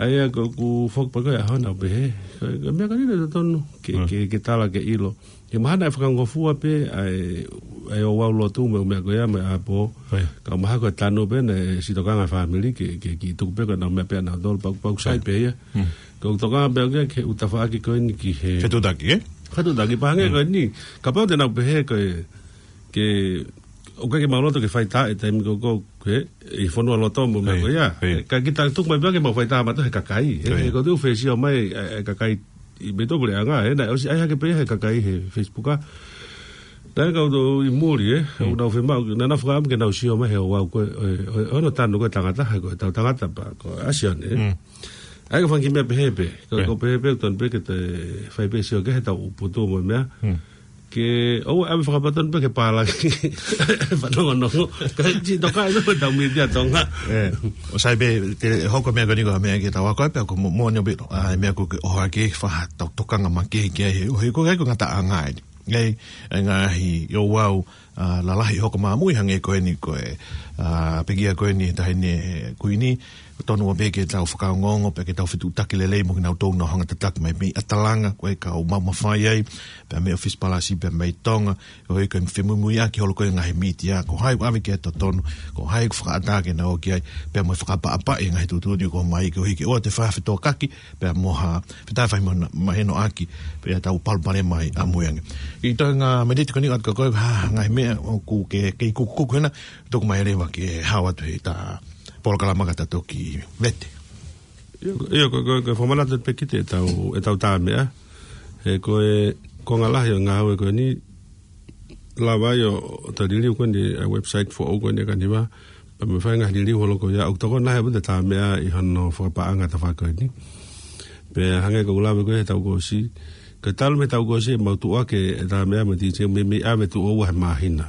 ʻA ia ko ʻeku foki pē ko e ʻaho naʻa ku pehē, ko e, ko e meʻa ko eni naʻe totonu, ke, Mm. ke, ke tala ke ʻilo. He mahalo naʻe fakangofua pē ʻa e, ʻa e ouau lotu mo e meʻa ko ia mo e ʻapo. Ko ia. Ka mahalo ko e tanu pē naʻe sitokanga e fāmili ke, ke, ke tuku pē ko ʻenau meʻa pē ʻanautolu pea, pea ʻoku sai Ko ia. pē ia. Mm. Ko e tokanga pē au ki he ʻū tafaʻaki ko eni ki he Fetuʻutaki, eh? Fetuʻutaki pea hangē Mm. ko eni. Kapau te nau pehē ko e, ke, ʻoku ʻikai ke mau loto ke faitā he taimi ko ē, ko e, ʻi he fonualoto mo e meʻa Ko ia. ko ia. Ko ia. Ka kita tuku mai pē ke mau faitā mautolu he kakai. He, Ko ia. he ko e tuʻu fēsio mai, e, e kakai ʻi he meʻa tō puleʻanga, ē, naʻe ʻosi ʻai hake pē he kakai he Facebook, ā. Naʻe kau tō ʻi muli, ē, Mm. ʻo nau fiemaʻu, naʻa nau fakaʻamu ke nau sio mai he ouau ko ē, ē, ē, ʻo hono tanu ko ē tangata, he ko ʻetau tangata pē, ko e ʻasi ʻeni, ē. Mm. ʻA ia ko e fanga kiʻi meʻa pehē pē, ko, Pē. ko e pehē pē, tonu pē ke te fai pē sio ki he ʻetau putu mo e meʻa. Mm. Ke, ʻoua ʻe ʻave fakapatonu pē ke pālangi. Fanongonongo. Ka ʻi he tokaʻi pē ʻetau mītia Tonga. Ē, ʻoku sai pē, te hoko e meʻa ko eni ko e meʻa ke tau ako ai pē, ko mo-, moʻoni ʻaupito. ʻA e meʻa ko ē ke ʻohake, faʻa tau tokanga makehe ki ai he, he ko e, ko e ngataʻanga ʻeni. ʻA e, ʻa e ngaahi ouau, ā, lalahi hoko māmui hangē ko eni ko e, ā, pekia ko eni he taha ʻeni he Kuini, tonu pē ke tau fakaongoongo, pea ke tau fetuʻutaki lelei mo kinautolu naʻa nau hanga ʻo tataki mai mei ʻAtalanga, ko e kau maumafai ai, pea mei ʻōfisi palasi, pea mei Tonga, ʻo e ko e femuimuiʻaki holo ko ē ngaahi mītia, ko hai ʻoku ʻave ki ai e totonu, ko hai ʻoku fakaʻatā ke nau ō ki ai, pea mo e fakaʻapaʻapaʻi e ngaahi tuʻutuʻuni ko ē mai, koeʻuhi ke ʻoua te faʻa fetokaki, pea mo ha, fetaʻi fai mo na-, mahenoʻaki, pea tau palopalema ʻamui ange. ʻI he toenga miniti ko eni ʻoatu kia koe, ha, ngaahi meʻa ʻoku ke, ke kukuku hena, tuku mai leva ke hao atu he ʻeta polokalama ka ta toki vete. ʻIo, ʻio, ko, ko, ko e fakamanatu pē ki he ʻetau, ʻetau tā meʻa. He ko e, ko e ngaahi lahi ʻo e ngāue ko eni, lava ai ʻo, ʻo ta liliu ko eni, ʻa e website foʻou ko eni ʻa Kaniva. Pea mo e fai ngaahi liliu holo ko ia, ʻoku tokoni lahi ʻaupito e tā meʻa ʻi hono fakapaʻanga e tafaʻaki ko eni. Pea hangē ko ʻeku lave ko ē he taʻu kuo ʻosi. Ka talu mei he taʻu kuo ʻosi ʻemau tuʻu hake e tā meʻa mo e DJ mei, mei ʻave tuʻo ua he māhina.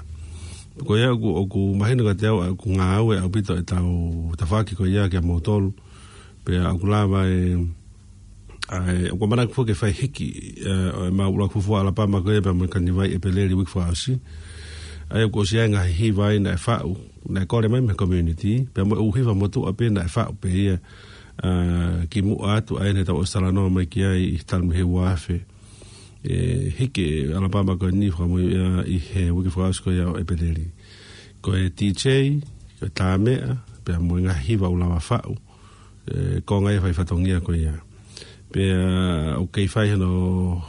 Ko ia ʻoku, ʻoku mahino kiate au, ʻoku ngāue ʻaupito ʻetau tafaʻaki ko ia kiate kimoutolu. Pea ʻoku lava e, ʻa e, ʻoku ou manako foki ke fai hiki, ē, ʻo ʻemau ʻuluaki fuofua ʻalapama ko ia pea mo e Kaniva ʻi ʻEpeleli uike fakaʻosi. ʻA ia ʻoku ʻosi ʻi ai e ngaahi hiva ʻi ai naʻe faʻu, naʻe kole mai mei he community, pea mo e ʻū hiva motuʻa pē naʻe faʻu pē ia, ā, kimuʻa atu ʻa ē naʻa tau ʻosi talanoa mai ki ai ʻi he talu mei he ua afe. ʻE, hiki e ʻalapama ko eni fakamui ia ʻi he uike fakaʻosi ko ia ʻo ʻEpeleli. Ko e DJ, ko e tā meʻa, pea mo e ngaahi hiva ʻoku lava faʻu, ē, konga ia e fai fatongia ko ia. Pea ʻoku kei fai hano,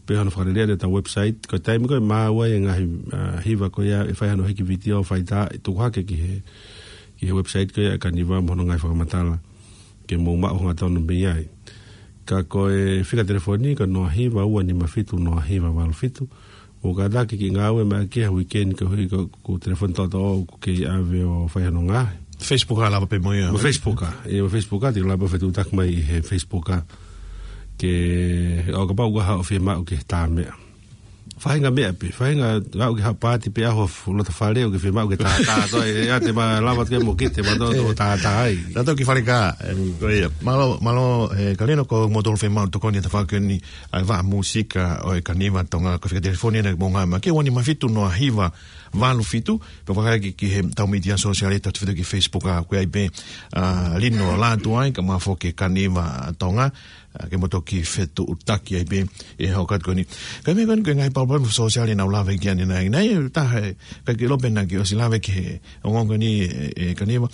pea hano fakalelei ʻetau website, ko e taimi ko ē ʻe maʻu ai e ngaahi, ā, hiva ko ia ʻe fai hano hiki vitiō, faitā, ʻe tuku hake ki he, ki he website ko ia ʻa Kaniva mo hono ngaahi fakamatala. Ke mou maʻu hangatonu mei ai. Ka ko e fika telefoni, ko e noa hiva ua nima fitu noa hiva valu fitu. Mou kātaki ke ngāue mai ki he weekend koeʻuhi ko, ko e telefoni toʻotoʻo ʻoku kei ʻave ʻo fai hano ngaahi. Facebook ʻa lava pē mo ia. Mo Facebook ʻa. ʻIo, mo Facebook ʻa, te u lava fetuʻutaki mai ʻi he Facebook ʻa. Ke, ʻo kapau ʻoku ʻi ai haʻo fiemaʻu ke tā meʻa. Faʻahinga meʻa pē, faʻahinga ʻalu ki ha pāti pē ʻaho fu-, loto fale ʻoku ke fiemaʻu ke tā, tā, tō, ʻe, ʻa te ma lava ke mo kite, ma tō, tō, tā, tā ai. Tatou ki fale ka, ʻe, ko ia. Mālō, mālō, ʻe, Kalino ko mo tolu fiemaʻu tokoni ʻa e tafaʻaki ni, ʻa e vaʻa mūsika ʻo e Kaniva Tonga, ko e fika telefoni ʻena mo ngā ma. Ke ua nima fitu noa hiva, valu fitu, pe fakaʻaki ki he tau mītia sōsiale, tau tefito ki Facebook ʻa, ko e ʻai pē, ʻa, Lino Lātū ai, ka ma foki Kaniva Tonga, ʻa, ke mo toki fetuʻutaki ai pē, ʻi he ʻaho ko eni. Ka meʻa ko eni ko e ngaahi palopalema sōsiale naʻa ku lave ki ai ʻanenai. Naʻe ʻi ai e taha, ʻe, ka ke lope na ke ʻosi lave ki he ongoongo ni, ʻe, ʻe, Kaniva.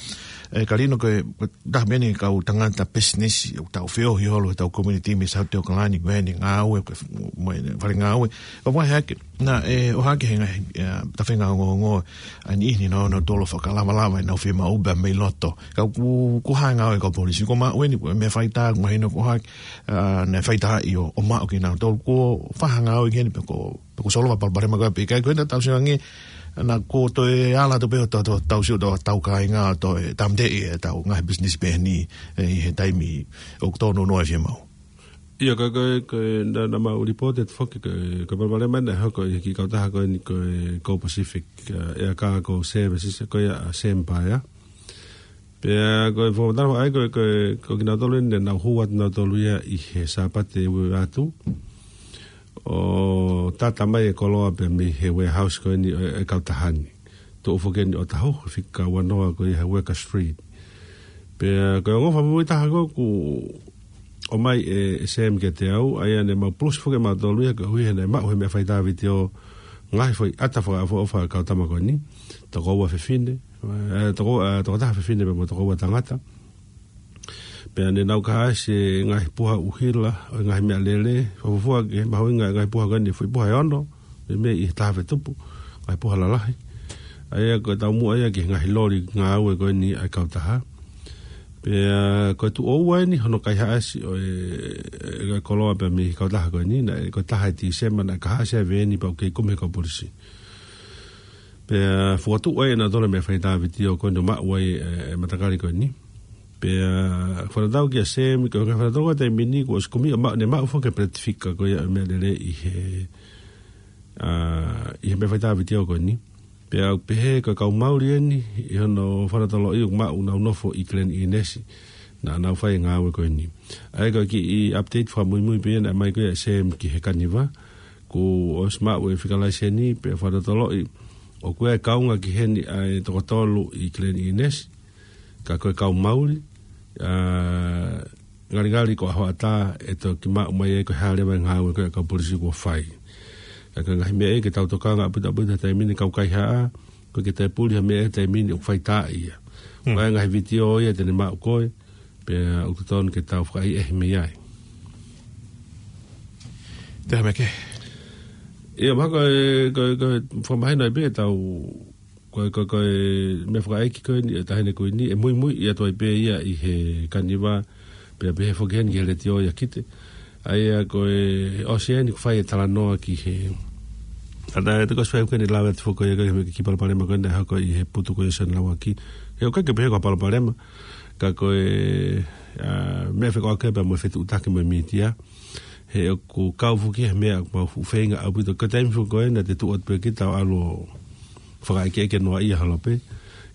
ʻE, Kalino ko e, ko e taha meni kau tangata pisinisi, ʻoku tau feohi holo, tau community mei South Auckland, ko eni ngāue, ko e f-, mo e fale ngāue. Ka ʻoku ʻi ai hake, naʻe ʻohake he ngaahi, ʻe, tafenga ongoongo, ʻa e niʻihi ni naʻa nau tolo fakalavalava ʻenau fiemaʻu pea mei loto. Ka ʻoku, ʻoku hanga ʻo e kau polisi, ko maʻu eni, ko e meʻa faitā, ʻoku mahino ko ʻohake, ʻa, naʻe faitā ʻi ʻo, ʻo maʻu kinautolu, ko e fai ha ngāue ki heni pe ko, pe ko e solova palopalema ko ē pe ʻikai ko ena tau sio ange, naʻa ko toe ala atu pē ʻo tau, tau, tau sio tau, tau kāinga ʻo toe tāmateʻi ʻetau ngaahi business pē ni, ʻe, ʻi he taimi ʻoku tōnounou ai e fiemaʻu. ʻIo, ko e, ko e, ko e, naʻa, naʻa mau reported foki, ko e, ko e palopalema naʻe hoko ʻi he kiʻi kautaha ko eni ko e, ko e Pacific, ʻa, Air Cargo Services, ko ia ʻa Sam Paea. Pea ko e fakamatala ai ko e, ko e, ko kinautolu eni naʻa nau hū atu nautolu ia ʻi he Sāpate ua atu. ʻO tata mai e koloa pea mei he warehouse ko eni ʻo e, e kautaha ni. Tuʻu foki eni ʻo taho, fika ua noa ko ia he Worker Street. Pea ko e ongo fakamui taha ko ē ʻoku ʻomai ʻe, ʻe Sam kiate au, ʻa ia naʻa mau pulusi foki mautolu ia koeʻuhi he naʻe maʻu he meʻa faitā vitiō ngaahi foʻi ʻata fakaʻofoʻofa ʻa e kau tama ko eni. Toko ua fefine, ʻe, toko, ʻe, toko taha fefine pea mo toko ua tangata. Pea naʻa nau kahaʻasi e ngaahi puha ʻuhila, ʻo e ngaahi meʻalele, fuofua ke mahuʻinga e ngaahi puha ko eni, foʻi puha ʻe ono, meimei ʻi he taha fetupu, ngaahi puha lalahi. ʻA ia ko e taumuʻa ia ki he ngaahi loli ngāue ko eni ʻa e kautaha. Pea ko e tuʻo ua eni hono kaihaʻasi ʻo e, e koloa pea mei he kautaha ko eni, naʻe ko e taha ʻi Tīsema naʻe kahaʻasi ai e veeni pea ʻoku kei kumi he kau polisi. Pea fokotuʻu ai ʻe nautolu e meʻa faitā vitiō ko eni ʻo maʻu ai e, e matakali ko eni. Pea fakatatau kia Sam, ko e fakatatau ko e taimi ni, kuo ʻosi kumi ʻo maʻu, naʻe maʻu foki e peleti fika ko ia e meʻalele ʻi he, ʻa, ʻi he meʻa faitā vitiō ko eni. Pea ʻoku pehē ko e kau Mauli eni, ʻi hono fakatatau ʻoku maʻu nau nofo ʻi Glen Innes, naʻa nau fai e ngāue ko eni. ʻA ia ko e kiʻi update fakamuimui pē ia naʻe ʻomai ko ia ʻe Sam ki he Kaniva, kuo ʻosi maʻu e fika laiseni, pea fakatatau ʻoku ʻi ai e kaunga ki heni ʻa e toko tolu ʻi Glen Innes, ka ko e kau Mauli, ʻa, ngalingali ko e ʻaho ʻatā ʻe toki maʻu mai ai ko e hā leva e ngāue ko ē ʻa e kau polisi kuo fai. Ka ko e ngaahi meʻa ia ke tau tokanga ʻaupito ʻaupito he taimi ni kau kaihaʻa, ko e ke toe puli ha meʻa he taimi ni ʻoku faitā ia. Hmm. Ko e ngaahi vitiō ia te ne maʻu ko ē, pea ʻoku totonu ke tau fakaʻehiʻehi mei ai. Te ha meʻa kehe? ʻIo, mahalo ko e, ko e, ko e fakamahino ai pē tau, ko e, ko e, ko e meʻa fakaʻeiki ko eni, e taʻahine ko eni, ʻe muimui atu ai pē ia ʻi he Kaniva, pea pehē foki heni ki he letiō ia Kite. ʻA ia ko e ʻosi eni kuo fai e talanoa ki he, ʻa ia te ko e fai ko eni lava atu foki ia ko e meʻa kiʻi palopalema ko eni naʻe hoko ʻi he putu ko ia ʻo Sione Lauaki. He ʻoku ʻikai ke pehē ko e palopalema, ka ko e, ʻa, meʻa fekauʻaki pea mo e fetuʻutaki mo e mītia. He ʻoku kau foki he meʻa ʻoku mau fuʻu feinga ʻaupito. Ko e taimi foki ko ē naʻa te tuʻu atu pē kita ʻo ʻalu ʻo fakaʻekeʻeke noaʻia holo pē.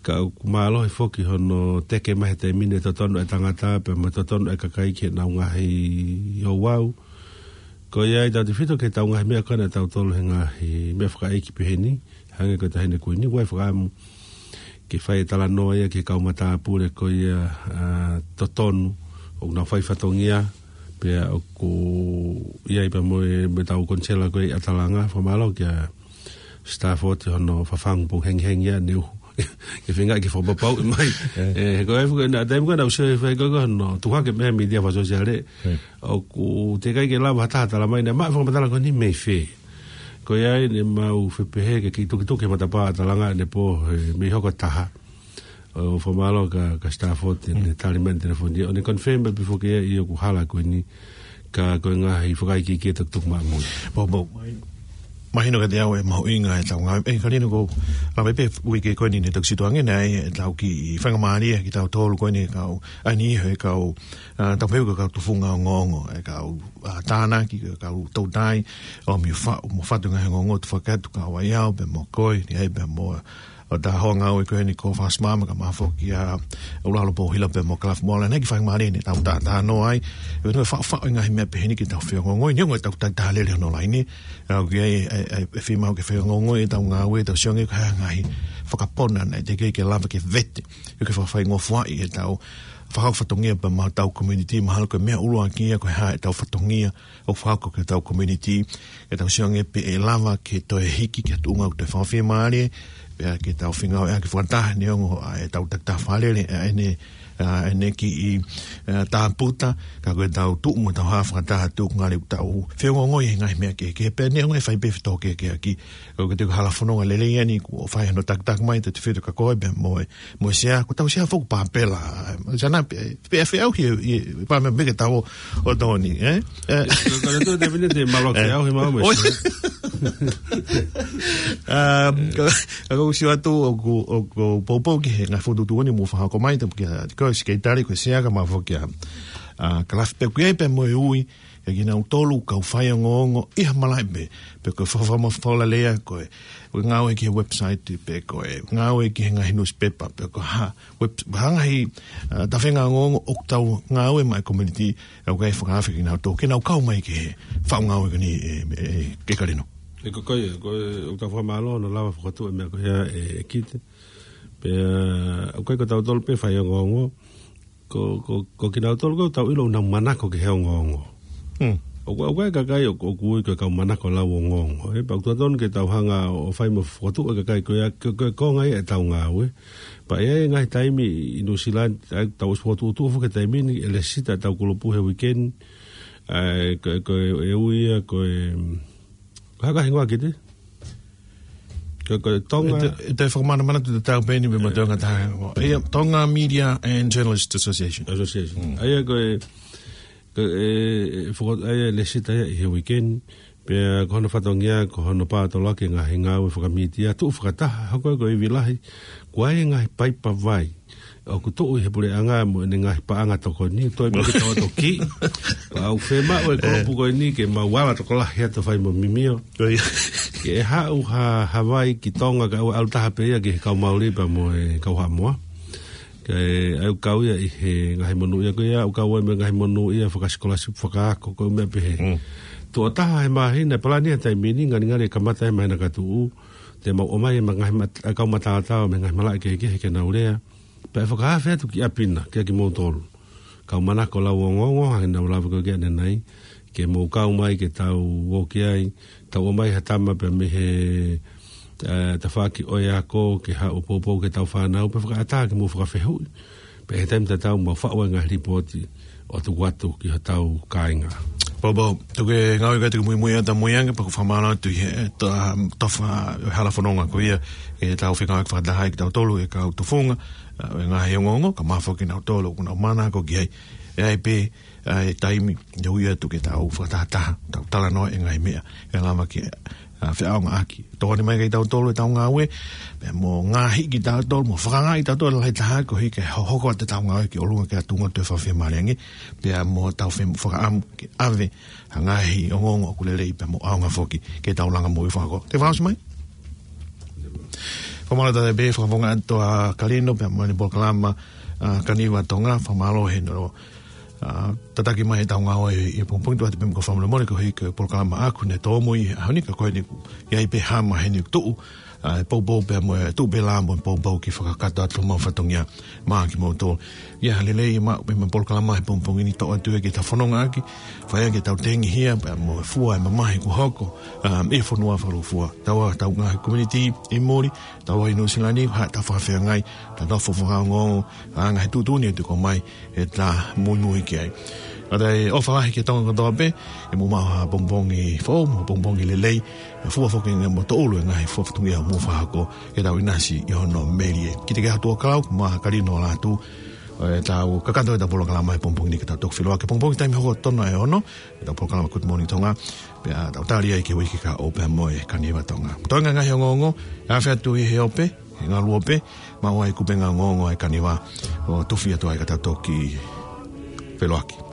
Ka ʻoku mālohi foki hono teke mai he taimi ni e totonu e tangata pea mo e totonu e kakai ki heʻenau ngaahi ouau. Ko ia ai tautefito ki heʻetau ngaahi meʻa ko ē naʻa tau tolo he ngaahi meʻa fakaʻeiki pehē ni. Hangē ko e taʻahine ko eni, ʻoku ʻi ai e fakaʻamu ke fai e talanoa ia ki he kau matāpule ko ia, ʻa, totonu ʻoku nau fai fatongia, pea ʻoku ʻi ai pea mo e, mo ʻetau konisela ko ē ʻi ʻAtalanga, fakamālō kia Stafford hono fafangu pongipongi hengihengi ia ne uhu. Ke feinga ke fakapapauʻi mai. Eh. ʻE, he ko e fuka, naʻa taimi ko ē naʻa ku sio he fai ko ē ko hono tuku hake mei he mītia fakasōsiale. Eh. ʻOku teʻeki ai ke lava ha taha tala mai naʻe maʻu e fakamatala ko eni mei fē. Ko ia ai naʻa mau fepehē ke kiʻi tukituki he matapā ʻAtalanga ʻanepō, he mei hoko e taha. ʻO fakamālō kia, kia Stafford, ne tali mai e telefoni. ʻO ne confirm pē foki ia ʻoku hala ko eni. Ka ko e ngaahi fakaikiiki ʻe tukituki maʻa mui. Pō, pō. Mahino kiate au e mahuʻinga ʻetau ngāue. ʻE, Kalino, ko e lave pē uike ko eni ne toki situʻa ange ai ʻetau kiʻi faingamālie kitautolu ko eni kau, ʻa eni he kau, ʻa, tau pehē ko e kau tufunga ongoongo, e kau, ʻa, tānaki, e kau toutai, ʻo mio fa-, mo fatu ngaahi ongoongo ʻoku fakatu, kau ai au pea mo koe, ʻi ai pea mo ʻo tā hoa ngāue ko eni ko Fasi Mama, kae ʻumaʻā foki ʻa ʻUlalo Pouhila pea mo Kalafi Moala, naʻe kiʻi faingamālie ne tau tā, tā noa ai. ʻE, no, fa, fa, ngaahi meʻa pehē ni ke tau feongoongoi, neongo ʻetau takitaha lele hono laine. ʻA, ʻoku ʻi ai, ʻe, ʻe, ʻe fiemaʻu ke feongoongoi ʻetau ngāue, tau sio ange ko e hā e ngaahi fakapona naʻe teʻeki ke lava ke vete, ʻo ke fakafaingofuaʻi ʻetau fakahoko fatongia pea mo ʻetau community, mahalo ko e meʻa ʻuluaki ia ko e hā ʻetau fatongia ʻoku fakahoko ki hotau community, ke tau sio ange pe ʻe lava ke toe hiki ki ha tuʻunga ʻoku toe fakafiemālie, pea ke tau fengāueʻaki fakataha neongo ʻa ʻetau takitaha fakalele, ʻa ʻene, ʻa ʻene kiʻi, ʻa, tāputa, ka ko ʻetau tuʻu mo ʻetau hā fakataha tuʻunga le tau feongoongoi he ngaahi meʻa kehekehe pea neongo e fai pē fetōkeakeaki. Ko e te hala fononga lelei ʻeni kuo fai hono takitaki mai ʻe Tefito Kakoe pea mo e, mo e Sea, ko ʻetau Sea foki Papela. Sana pe, pe ʻe feʻauhi e, e, pea me meke tau ʻo tōni, ē? Ē. Ka, ka le tō te mine te malo ke au he mau me. Oi. Sea. Um, ka, ka ʻoku ou sio atu ʻoku, ʻoku poupou ki he ngaahi fokotuʻutuʻu ni mo fakahoko mai, tapu kia, ko e Sekelitali, ko e Sea kae ʻumaʻā foki ʻa, ʻa, Kalafi pea ʻoku ʻi ai pea mo e ui, ʻa kinautolu kau faiongoongo ʻi ha malaʻe pē, pe ko e fakafola lea, ko e, ko e ngāue ki he website, pe ko e ngāue ki he ngaahi newspaper, pe ko e hā, web, hā ngaahi, ʻa, tafenga ongoongo ʻoku tau ngāue maʻa e community, ʻa, ʻoku ʻi ai e fakaafe kinautolu ke nau kau mai ki he faʻu ngāue ko eni, ʻe, ʻe, ʻe, ke Kalino. ʻE ko koe, ko e, ʻoku tau fakamālō hono lava fokotuʻu e meʻa ko ia ʻe, ʻe Kite. Pea, ʻoku ʻikai ko tautolu pē faiongoongo, ko, ko, ko kinautolu ko ē ʻoku tau ʻilo ʻoku nau manako ki he ongoongo. Hmm. ʻOku, ʻoku ʻi ai e kakai ʻoku, ʻoku ui ko e kau manako lau ongoongo. ʻE, pea ʻoku totonu ke tau hanga ʻo fai mo fokotuʻu e kakai ko ia, ko, ko, ko e ngaahi ʻetau ngāue. Pea ʻi ai e ngaahi taimi ʻi New Zealand, ʻa ia ʻoku tau ʻosi fokotuʻutuʻu foki e taimi ni, ʻe lēsisita ʻetau kulupu he weekend, ʻa ia ko, ko e ui ia, ko e, mm, ko e hā e hingoa Kite? Ko, ko e Tonga. ʻE te, ʻe te fakamanamanatu tatau pē eni pea mo e Tonga taha. ʻIa, Tonga Media and Journalist Association. Association. Mm. ʻA ia ko e, ko e, e, foko-, ʻa ia lēsisita ia ʻi he weekend. Pea ko hono fatongia, ko hono pātoloaki e ngaahi ngāue fakamītia, tuʻu fakataha, hoko ko e ivi lahi, ko e ngaahi paipa vai ʻoku tuʻu ʻi he puleʻanga mo ʻene ngaahi paʻanga tokoni, toe mei ke tau toki. Pea ʻoku fiemaʻu e kulupu ko eni ke mau ala tokolahi atu fai mo mimio. Ko ia. Ke ʻe haʻu ha, ha vai ki Tonga kae ʻoua ʻe ʻalu taha pē ia ki he kau Mauli pea mo e kau Haʻamoa. Ke ʻai ʻo kau ia ʻi he ngaahi monūʻia ko ia, ʻo kau ai mo e ngaahi monūʻia fakasikolasipu fakaako, ko e meʻa pehē. Mm. Tuʻo taha he māhina, palani he taimi ni, ngalingali ʻe kamata he māhina ka tuʻu, te mau ʻomai e ma-, ngaahi mat-, ʻa e kau mataotao mei he ngaahi malaʻe kehekehe ke nau lea. Pea ʻe fakaafe atu ki ʻapi na, kia kimoutolu. Kau manako lau ongoongo, hangē naʻa ku lave ko ē ki ai ʻanenai, ke mou kau mai, ke tau ō ki ai, tau ʻomai ha tama pea mei he, ʻa, tafaʻaki ʻo e ako, ke haʻu ʻo poupou ki heʻetau fānau, pea fakaʻatā ke mou fakafehuʻi. Pea ʻi he taimi tatau mau faʻu ai e ngaahi lipooti ʻo tuku atu ki hotau kāinga. Poupou, tuku e ngāue ka tuku muimui atu muiange, pea ʻoku ou fakamālō atu ʻi he, ʻe, to-, tofa hala fononga ko ia, ʻetau fekau fakataha ai kitautolu, e kau tufunga, ʻa, e ngaahi ongoongo, kae ʻumaʻā foki kinautolu ʻoku nau manako ki ai. ʻE ʻi ai pē, ʻa, e taimi, ʻe ui atu ke tau fakatahataha, tau talanoa e ngaahi meʻa ʻe lava ke, ʻa, feʻaongaʻaki. Tokoni mai kia kitautolu ʻetau ngāue, pea mo ngaohi kitautolu, mo fakangaahi kitautolu lahi taha koeʻuhi ke hohoko atu ʻetau ngāue ki ʻolunga ki ha tuʻunga ʻoku toe fakafiemālie ange, pea mo tau fie fakaʻamu ke ʻave ha ngaahi ongoongo ʻoku lelei pea mo ʻaonga foki ke tau langa moʻui fakakoloa. Te fakaʻosi mai? Fakamālō atu pē, fakafofonga atu ʻa Kalino pea mo ʻene polokalama, ʻa, Kaniva Tonga, fakamālō he no ʻa, tataki mai ʻetau ngāue ʻi he pongipongi, tuʻu atu pē mo e kau fakamolemole koeʻuhi ko e polokalama ʻaʻaku ne tōmui he ʻaho ni, ka ko eni ʻoku ʻi ai pē hama heni tuʻu, ʻa, e poupou pea mo e tuʻu pē lā mo e poupou ke fakakakato atu homau fatongia maʻa kimoutolu. ʻIa, lelei maʻu pē ʻemau polokalama he pongipongi ni, toʻo atu ia ke tau fononga ʻaki, fai ai ke tau tengihia pea mo e fua e mamahi kuo hoko, ʻa, ʻi he fonua fakalūkufua. Taua ʻetau ngaahi community ʻi muli, taua ʻi Nuʻu Sila ni, ha tau fakafeangai, tau nofo fakaongoongo, ʻa, ngaahi tuʻutuʻuni ʻe tuku mai, ʻe tau muimui ki ai. ʻA ia ʻofa lahi ki he Tonga kotoa pē, ke mou maʻu ha pongipongi foʻou, mo e pongipongi lelei, ʻe fua foki mo tōʻulu e ngaahi fua fatongia ʻoku mou fakahoko, ke tau ʻinasi ʻi hono melie. Kiate kimoutolu ʻoku kau, ko Kalino Lātū, ʻo ʻetau kakato ʻetau polokalama he pongipongi ni ke tau toki feʻiloaki. Pongipongi taimi hoko tonu ʻe ono, ʻetau polokalama Good Morning Tonga. Pea tau tali ai ki he uike kahaʻu pea mo e Kaniva Tonga. Toenga e ngaahi ongoongo, ʻe afe atu ʻi he ope, he ngalu ope, maʻu ai e kupenga ongoongo ʻa e Kaniva, ʻo tufi atu ai ka tau toki feʻiloaki.